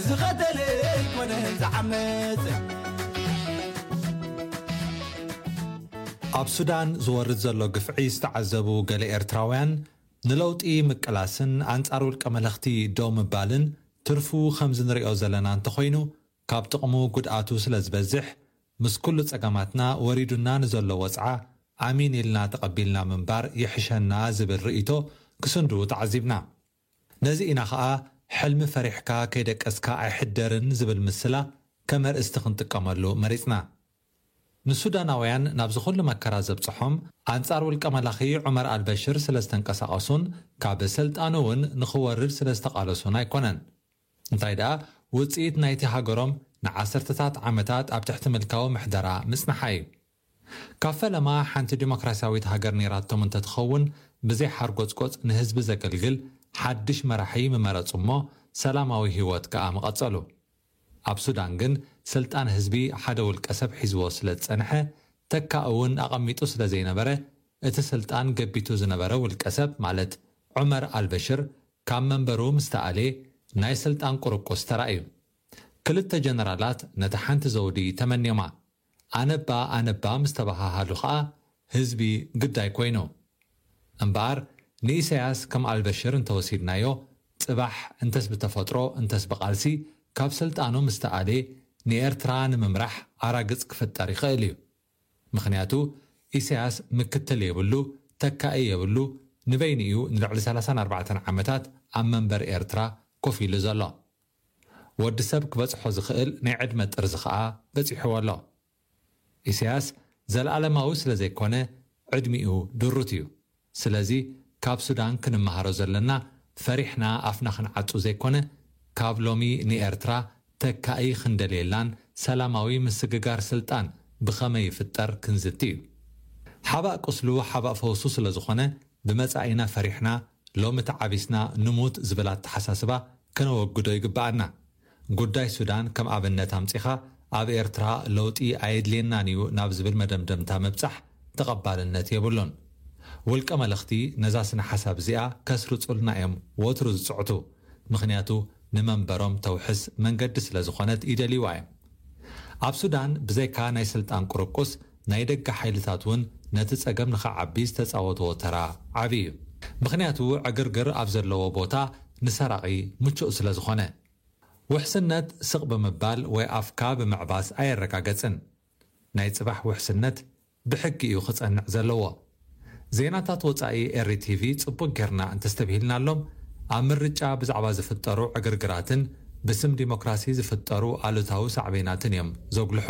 ዝቐተለይ ኮነ ዝዓመጸ። ኣብ ሱዳን ዝወርድ ዘሎ ግፍዒ ዝተዓዘቡ ገለ ኤርትራውያን፣ ንለውጢ ምቅላስን ኣንጻር ውልቀ መለኽቲ ደው ምባልን ትርፉ ከምዚ ንሪኦ ዘለና እንተኾይኑ፣ ካብ ጥቕሙ ጉድኣቱ ስለ ዝበዝሕ፣ ምስ ኩሉ ጸገማትና ወሪዱና ንዘሎ ወጽዓ ኣሚን ኢልና ተቐቢልና ምንባር ይሕሸና ዝብል ርእይቶ ክስንድዉ ተዓዚብና። ነዚ ኢና ኸኣ ሕልሚ ፈሪሕካ ከይደቀስካ ኣይሕደርን ዝብል ምስላ ከም ኣርእስቲ ክንጥቀመሉ መሪጽና። ንሱዳናውያን ናብዚ ኩሉ መከራ ዘብጽሖም፣ ኣንጻር ውልቀ መላኺ ዑመር ኣልበሽር ስለ ዝተንቀሳቐሱን ካብ ስልጣኑ እውን ንኽወርድ ስለ ዝተቓለሱን ኣይኮነን። እንታይ ደኣ፣ ውጽኢት ናይቲ ሃገሮም ንዓሰርተታት ዓመታት ኣብ ትሕቲ ምልካዊ ምሕደራ ምጽንሓ እዩ። ካብ ፈለማ ሓንቲ ዲሞክራሲያዊት ሃገር ነይራቶም እንተትኸውን፣ ብዘይ ሓርጎጽጎጽ ንህዝቢ ዘገልግል ሓድሽ መራሒ ምመረጹ እሞ፣ ሰላማዊ ህይወት ከኣ ምቐጸሉ። ኣብ ሱዳን ግን ስልጣን ህዝቢ ሓደ ውልቀ ሰብ ሒዝዎ ስለ ዝጸንሐ፣ ተካእ እውን ኣቐሚጡ ስለ ዘይነበረ፣ እቲ ስልጣን ገቢቱ ዝነበረ ውልቀ ሰብ ማለት ዑመር ኣልበሽር ካብ መንበሩ ምስ ተኣልየ፣ ናይ ስልጣን ቁርቁስ ተራእዩ። ክልተ ጀነራላት ነታ ሓንቲ ዘውዲ ተመንዮማ። ኣነባ ኣነባ ምስ ተበሃሃሉ ኸኣ ህዝቢ ግዳይ ኮይኑ። እምበኣር ንኢሳያስ ከም ኣልበሽር እንተወሲድናዮ፣ ጽባሕ እንተስ ብተፈጥሮ እንተስ ብቓልሲ ካብ ስልጣኑ ምስ ተኣልየ፣ ንኤርትራ ንምምራሕ ኣራግጽ ክፍጠር ይኽእል እዩ። ምኽንያቱ ኢሳያስ ምክትል የብሉ፣ ተካኢ የብሉ፣ ንበይኑ እዩ ንልዕሊ ሰላሳን ኣርባዕተን ዓመታት ኣብ መንበር ኤርትራ ኮፍ ኢሉ ዘሎ። ወዲ ሰብ ክበጽሖ ዝኽእል ናይ ዕድመ ጥርዚ ኸኣ በጺሕዎ ኣሎ። ኢሳያስ ዘለኣለማዊ ስለ ዘይኮነ ዕድሚኡ ድሩት እዩ። ስለዚ ካብ ሱዳን ክንመሃሮ ዘለና ፈሪሕና ኣፍና ክንዓጹ ዘይኮነ ካብ ሎሚ ንኤርትራ ተካኢ ክንደልየላን ሰላማዊ ምስግጋር ስልጣን ብኸመይ ይፍጠር ክንዝቲ እዩ። ሓባእ ቁስሉ ሓባእ ፈውሱ ስለ ዝኾነ ብመጻኢና ፈሪሕና ሎሚ ተዓቢስና ንሙት ዝብል ኣተሓሳስባ ከነወግዶ ይግብኣና። ጉዳይ ሱዳን ከም ኣብነት ኣምጺኻ ኣብ ኤርትራ ለውጢ ኣየድልየናን እዩ ናብ ዝብል መደምደምታ ምብጻሕ ተቐባልነት የብሉን። ውልቀ መለኽቲ ነዛ ስነ ሓሳብ እዚኣ ከስርጹልና እዮም ወትሩ ዝጽዕቱ። ምኽንያቱ ንመንበሮም ተውሕስ መንገዲ ስለ ዝኾነት ይደልይዋ እዮም። ኣብ ሱዳን ብዘይካ ናይ ስልጣን ቁርቁስ ናይ ደገ ሓይልታት እውን ነቲ ጸገም ንኸዓቢ ዝተጻወትዎ ተራ ዓቢ እዩ። ምኽንያቱ ዕግርግር ኣብ ዘለዎ ቦታ ንሰራቒ ምቹእ ስለ ዝኾነ። ውሕስነት ስቕ ብምባል ወይ ኣፍካ ብምዕባስ ኣየረጋገጽን። ናይ ጽባሕ ውሕስነት ብሕጊ እዩ ክጸንዕ ዘለዎ። ዜናታት ወጻኢ ኤሪ ቲቪ ጽቡቕ ጌርና እንተስተብሂልናሎም፣ ኣብ ምርጫ ብዛዕባ ዝፍጠሩ ዕግርግራትን ብስም ዲሞክራሲ ዝፍጠሩ ኣሉታዊ ሳዕቤናትን እዮም ዘጉልሑ።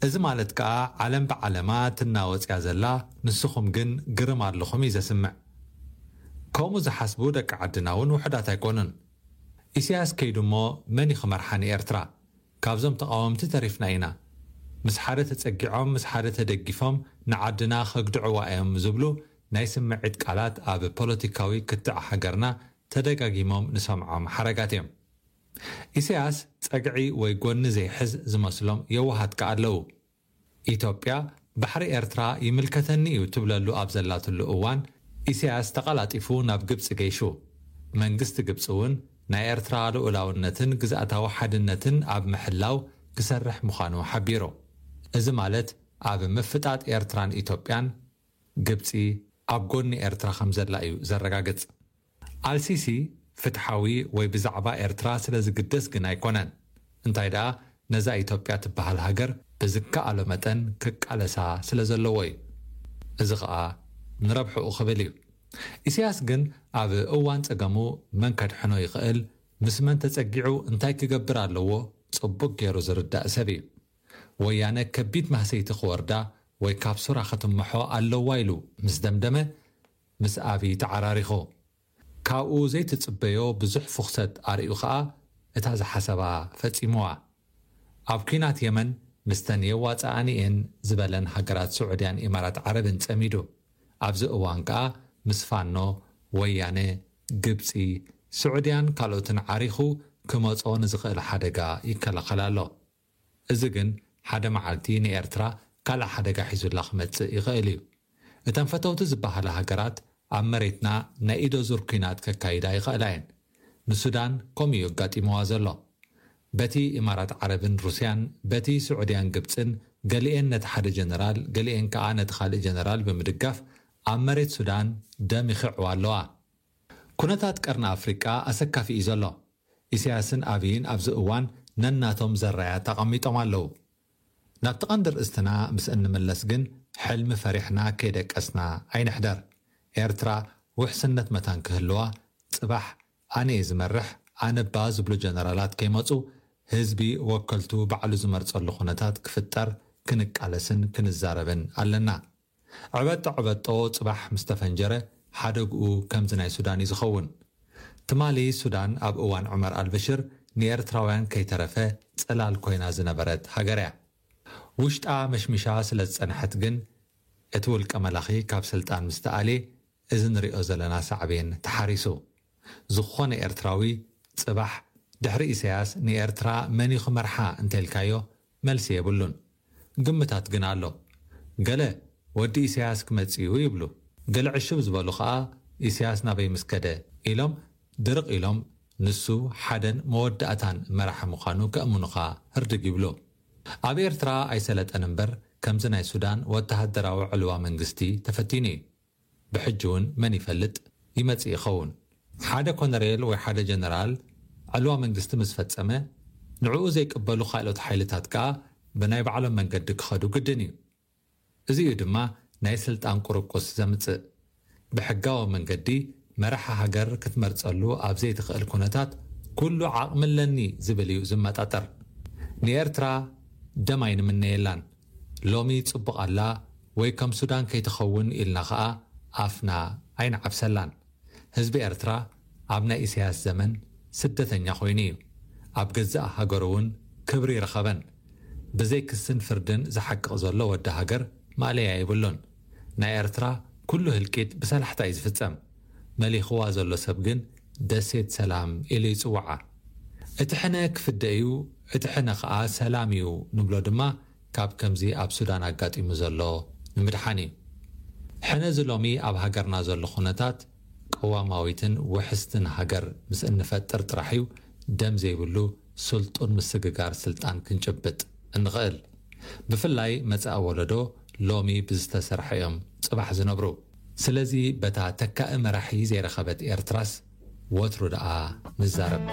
እዚ ማለት ከኣ ዓለም ብዓለማ ትናወጽ እያ ዘላ፣ ንስኹም ግን ግርም ኣለኹም እዩ ዘስምዕ። ከምኡ ዝሓስቡ ደቂ ዓድና እውን ውሑዳት ኣይኮኑን። ኢሳያስ ከይዱ እሞ መን እዩ ክመርሓ ንኤርትራ? ካብዞም ተቓወምቲ ተሪፍና ኢና። ምስ ሓደ ተጸጊዖም፣ ምስ ሓደ ተደጊፎም ንዓድና ከግድዕዋ እዮም ዝብሉ ናይ ስምዒት ቃላት ኣብ ፖለቲካዊ ክትዕ ሃገርና ተደጋጊሞም ንሰምዖም ሓረጋት እዮም። ኢሳያስ ጸግዒ ወይ ጎኒ ዘይሕዝ ዝመስሎም የዋሃት ከኣ ኣለዉ። ኢትዮጵያ ባሕሪ ኤርትራ ይምልከተኒ እዩ ትብለሉ ኣብ ዘላትሉ እዋን፣ ኢሳያስ ተቐላጢፉ ናብ ግብጺ ገይሹ። መንግስቲ ግብጺ እውን ናይ ኤርትራ ልኡላውነትን ግዝኣታዊ ሓድነትን ኣብ ምሕላው ክሰርሕ ምዃኑ ሓቢሩ። እዚ ማለት ኣብ ምፍጣጥ ኤርትራን ኢትዮጵያን ግብጺ ኣብ ጎኒ ኤርትራ ከም ዘላ እዩ ዘረጋግጽ። ኣልሲሲ ፍትሓዊ ወይ ብዛዕባ ኤርትራ ስለ ዝግደስ ግን ኣይኮነን። እንታይ ደኣ ነዛ ኢትዮጵያ ትበሃል ሃገር ብዝከኣሎ መጠን ክቃለሳ ስለ ዘለዎ እዩ። እዚ ኸኣ ንረብሕኡ ክብል እዩ። ኢሳያስ ግን ኣብ እዋን ጸገሙ መን ከድሕኖ ይኽእል፣ ምስ መን ተጸጊዑ እንታይ ክገብር ኣለዎ ጽቡቕ ገይሩ ዝርዳእ ሰብ እዩ። ወያነ ከቢድ ማህሰይቲ ክወርዳ ወይ ካብ ሱራ ክትምሖ ኣለዋ ኢሉ ምስ ደምደመ፣ ምስ ኣብይ ተዓራሪኹ። ካብኡ ዘይትጽበዮ ብዙሕ ፍኹሰት ኣርእዩ ኸኣ እታ ዝሓሰባ ፈጺምዋ። ኣብ ኲናት የመን ምስተን የዋጽኣኒ እየን ዝበለን ሃገራት ስዑድያን ኢማራት ዓረብን ጸሚዱ። ኣብዚ እዋን ከኣ ምስ ፋኖ፣ ወያነ፣ ግብጺ፣ ስዑድያን ካልኦትን ዓሪኹ ክመጾ ንዝኽእል ሓደጋ ይከላኸል ኣሎ። እዚ ግን ሓደ መዓልቲ ንኤርትራ ካልእ ሓደጋ ሒዙላ ክመጽእ ይኽእል እዩ። እተን ፈተውቲ ዝበሃላ ሃገራት ኣብ መሬትና ናይ ኢዶ ዙር ኲናት ከካይዳ ይኽእላ እየን። ንሱዳን ከምኡ እዩ ኣጋጢምዋ ዘሎ። በቲ ኢማራት ዓረብን ሩስያን፣ በቲ ስዑድያን ግብጽን፣ ገሊኤን ነቲ ሓደ ጀነራል፣ ገሊኤን ከኣ ነቲ ካልእ ጀነራል ብምድጋፍ ኣብ መሬት ሱዳን ደም ይኽዕዋ ኣለዋ። ኩነታት ቀርኒ ኣፍሪቃ ኣሰካፊ እዩ ዘሎ። ኢሳያስን ኣብይን ኣብዚ እዋን ነናቶም ዘራያት ኣቐሚጦም ኣለዉ። ናብቲ ቀንዲ ርእስትና ምስ እንምለስ ግን፣ ሕልሚ ፈሪሕና ከይደቀስና ኣይንሕደር። ኤርትራ ውሕስነት መታን ክህልዋ፣ ጽባሕ ኣነ እየ ዝመርሕ፣ ኣነባ ዝብሉ ጀነራላት ከይመጹ ህዝቢ ወከልቱ ባዕሉ ዝመርጸሉ ኩነታት ክፍጠር ክንቃለስን ክንዛረብን ኣለና። ዕበጦ ዕበጦ ጽባሕ ምስ ተፈንጀረ ሓደግኡ ከምዚ ናይ ሱዳን እዩ ዝኸውን። ትማሊ ሱዳን ኣብ እዋን ዑመር ኣልበሽር ንኤርትራውያን ከይተረፈ ጽላል ኮይና ዝነበረት ሃገር እያ። ውሽጣ መሽሚሻ ስለ ዝጸንሐት ግን እቲ ውልቀ መላኺ ካብ ስልጣን ምስ ተኣልየ እዚ ንሪኦ ዘለና ሳዕቤን ተሓሪሱ። ዝኾነ ኤርትራዊ ጽባሕ ድሕሪ ኢሳያስ ንኤርትራ መን እዩ ክመርሓ እንተልካዮ መልሲ የብሉን። ግምታት ግን ኣሎ። ገለ ወዲ ኢሳያስ ክመጽእ እዩ ይብሉ። ገለ ዕሽብ ዝበሉ ኸኣ ኢሳያስ ናበይ ምስ ከደ ኢሎም ድርቕ ኢሎም ንሱ ሓደን መወዳእታን መራሒ ምዃኑ ከእምኑኻ ህርድግ ይብሉ። ኣብ ኤርትራ ኣይሰለጠን እምበር ከምዚ ናይ ሱዳን ወተሃደራዊ ዕልዋ መንግስቲ ተፈቲኑ እዩ። ብሕጂ እውን መን ይፈልጥ ይመጽእ ይኸውን። ሓደ ኮነሬል ወይ ሓደ ጀነራል ዕልዋ መንግስቲ ምስ ፈጸመ ንዕኡ ዘይቅበሉ ካልኦት ሓይልታት ከኣ ብናይ ባዕሎም መንገዲ ክኸዱ ግድን እዩ። እዚ እዩ ድማ ናይ ስልጣን ቁርቁስ ዘምጽእ። ብሕጋዊ መንገዲ መራሒ ሃገር ክትመርጸሉ ኣብ ዘይትኽእል ኩነታት ኩሉ ዓቕሚ ኣለኒ ዝብል እዩ ዝመጣጠር። ንኤርትራ ደም ኣይንምነየላን። ሎሚ ጽቡቕ ኣላ ወይ ከም ሱዳን ከይትኸውን ኢልና ኸኣ ኣፍና ኣይንዓብሰላን። ህዝቢ ኤርትራ ኣብ ናይ ኢሳያስ ዘመን ስደተኛ ኮይኑ እዩ። ኣብ ገዛእ ሃገሩ እውን ክብሪ ይረኸበን። ብዘይ ክስን ፍርድን ዝሓቅቕ ዘሎ ወዲ ሃገር ማእለያ የብሉን። ናይ ኤርትራ ኩሉ ህልቂት ብሰላሕታ እዩ ዝፍጸም። መሊኽዋ ዘሎ ሰብ ግን ደሴት ሰላም ኢሉ ይጽውዓ። እቲ ሕነ ክፍደ እዩ፣ እቲ ሕነ ኸኣ ሰላም እዩ ንብሎ ድማ ካብ ከምዚ ኣብ ሱዳን ኣጋጢሙ ዘሎ ንምድሓን እዩ። ሕነ እዚ ሎሚ ኣብ ሃገርና ዘሎ ኩነታት ቅዋማዊትን ውሕስትን ሃገር ምስ እንፈጥር ጥራሕ እዩ ደም ዘይብሉ ስልጡን ምስግጋር ስልጣን ክንጭብጥ እንኽእል። ብፍላይ መጻኢ ወለዶ ሎሚ ብዝተሰርሐ እዮም ጽባሕ ዝነብሩ። ስለዚ በታ ተካኢ መራሒ ዘይረኸበት ኤርትራስ ወትሩ ደኣ ንዛረብ።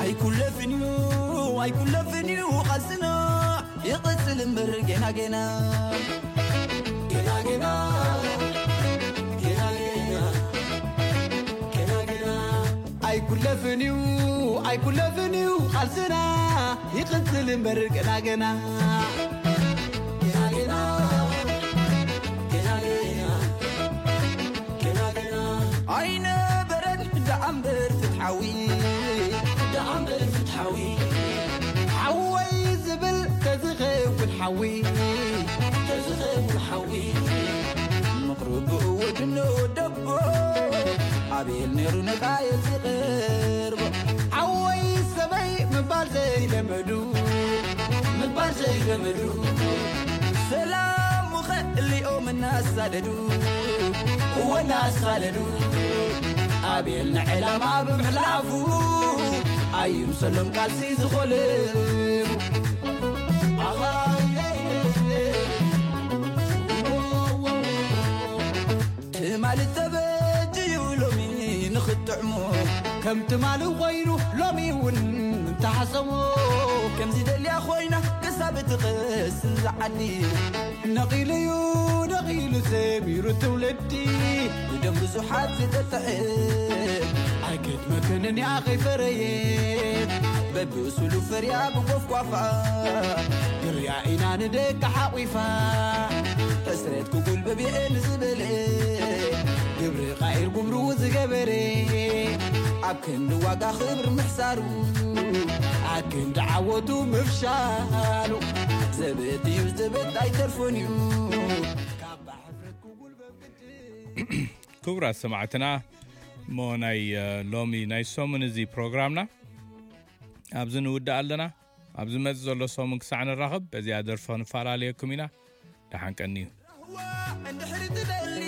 ኣይኩለፍን እዩ ኣይኩለፍን እዩ ቃልስና ይቕጽል እምበር ገና ገና ገና ገና ገና ገና ገና ገና ኣይኩለፍን እዩ ኣይኩለፍን እዩ ቃልስና ይቕጽል እምበር ገና ገና ገና ገና ገና ገና ገና ኣይነበረን ደኣ እምበር ፍትሓዊ ደኣ እምበር ፍትሓዊ ሓወይ ዝብል ተዝኸውን ሓዊ ተዝኸውን ሓዊ ምቕርብኡ ወድኖ ደቦ ኣቤል ነይሩ ነቃየል ዝቕርቦ ሓወይ ሰበይ ምባል ዘይለመዱ ምባል ዘይለመዱ ሰላም ሙኸ እሊኦም እናሳደዱ እወ እናሳደዱ ኣቤል ንዕላማ ብምሕላፉ ኣይምሰሎም ቃልሲ ዝኾልፉ ትማሊ ተበጅዩ ሎሚ ንኽጥዕሞ ከም ትማሊ ኮይኑ ሎሚ እውን እንተሓሰቦ ከምዚ ደልያ ኮይና ክሳብ ትኸስን ዝዓዲ ነቒሉዩ ነቒሉ ሰሚሩ ትውልዲ ብደም ብዙሓት ዝጠጥዐ ኣይክድመክንን እያ ከይፈረየ በብእሱሉ ፈርያ ብጎፍጓፋ ግርያ ኢና ንደቂ ሓቒፋ ሕስረት ክጉልበብ የእን ዝበለ ግብሪ ቃይር ጉምሩ ዝገበረ ኣብ ክንዲ ዋጋ ክብሪ ምሕሳሩ ኣብ ክንዲ ዓወቱ ምፍሻሉ ዘበት እዩ ዘበት ኣይተርፎን እዩ ካብ ሕፍረት ክጉልበብ ግድን ክቡራት ሰማዕትና እሞ ናይ እ፣ ሎሚ ናይ ሰሙን እዚ ፕሮግራምና ኣብዚ ንውድእ ኣለና። ኣብ ዝመጽእ ዘሎ ሰሙን ክሳዕ ንራኸብ በዚኣ ደርፊ ክንፈላለየኩም ኢና። ደሓን ቀንዩ። እንድሕር ትደሊ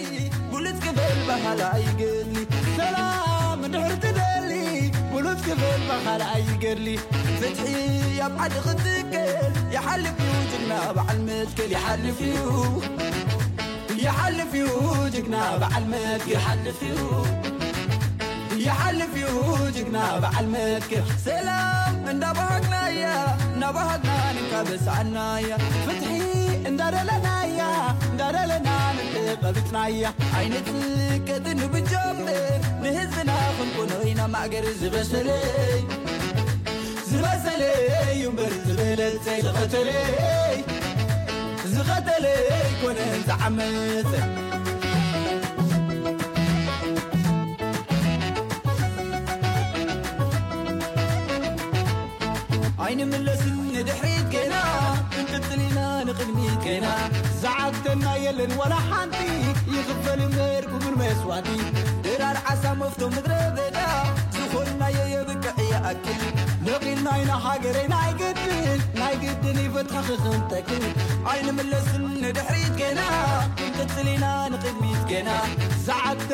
ብሉጽ ክብል ባህል ኣይገድሊ ሰላም እንድሕር ትደሊ ብሉጽ ክብል ባህል ኣይገድሊ ፍትሒ ኣብ ዓዲ ክትከል ይሓልፍ እዩ ጅግና በዓል መትከል ይሓልፍ እዩ ይሓልፍ እዩ ጅግና በዓል መትከል ይሓልፍ እዩ ይሓልፍ እዩ ጅግና በዓል መትክር። ሰላም እንዳባሃግናያ፣ እንዳባሃግና ንካበሳናያ። ፍትሒ እንዳደለናያ፣ እንዳደለና ንተቐቢጽናያ። ኣይንጽቀጥን ብጀምር፣ ንህዝብና ክንኮኖ ኢና ማእገር ዝበሰለይ። ዝበሰለይ እዩ እምበር ዝበለጸ። ዝቐተለይ፣ ዝቐተለይ ኮነ ዝዓመጸ። ኣይንምለስን ንድሕሪት ገና፣ ክንቅጽል ኢና ንቕድሚት ገና። ዝዓግተና የለን ዋላ ሓንቲ፣ ይኽፈል እምበር ክቡር መስዋእቲ። ድራር ዓሳ መፍቶ ምድረ በዳ፣ ዝኾንናዮ የብቅዕ ይኣክል። ነቒልና ኢና ሃገረይ ናይ ግድን፣ ናይ ግድን ይፈትሓ ክኽንተክል። ኣይንምለስን ንድሕሪት ገና፣ ክንቅጽል ኢና ንቕድሚት ገና። ዝዓግተ